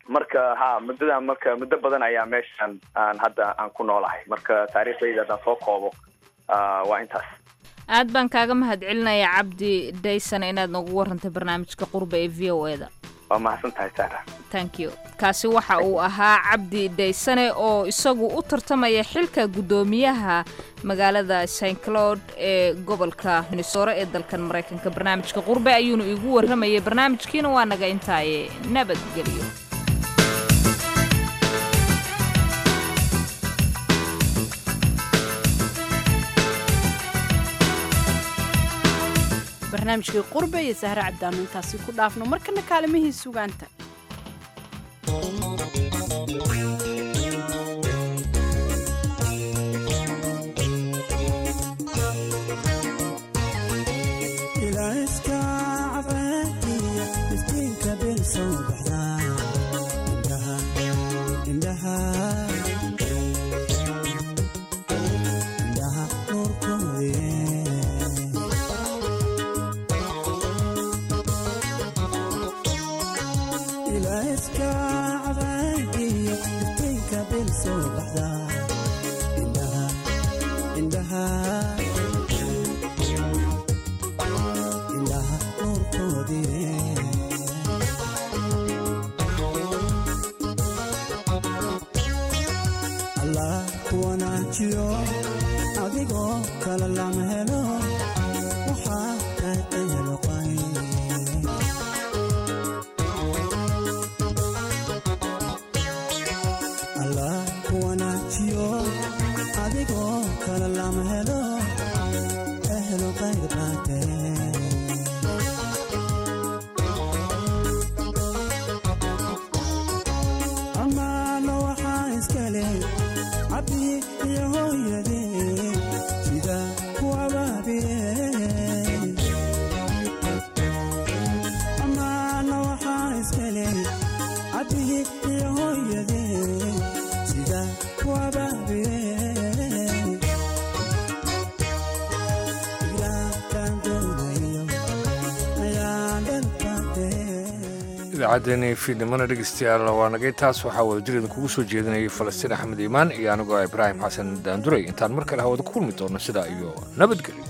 Marka ha muddadan, marka muddo badan ayaa meeshan aan hadda aan ku noolahay. Marka taariikhdayda haddaan soo koobo, waa intaas. Aad baan kaaga mahadcelinaya, Cabdi Dayson, inaad noogu warantay barnaamijka Qurba ee VOA-da. Waa mahadsan tahay, Sara. Thank you. Kaasi waxa uu ahaa Cabdi Daysane oo isagu u tartamaya xilka guddoomiyaha magaalada St Cloud ee gobolka Minnesota ee dalkan Maraykanka. Barnaamijka Qurbe ayuuna iigu warramayay. Barnaamijkiina waa naga intaaye, nabadgelyo. Barnaamijkii Qurbe iyo Sahre Cabdaanu intaasi ku dhaafno. Markana kaalimihii sugaanta. Adigoo kala lama helo, waxaa tahay. Allah ku wanaajiyo, adigoo kala lama helo, ehlo qayr baatee. Amaano waxaa iskale cabdi iyo hooyadee sida ku. Idaacaddeenii fiidnimona dhegeystayaal waa nagay taas. Waxaa wadajir idinkugu soo jeedinayay Falastiin Axmed Iimaan iyo anigoo Ibraahim Xasan Daanduray. Intaan mar kale hawada ku kulmi doono, sidaa iyo nabadgelyo.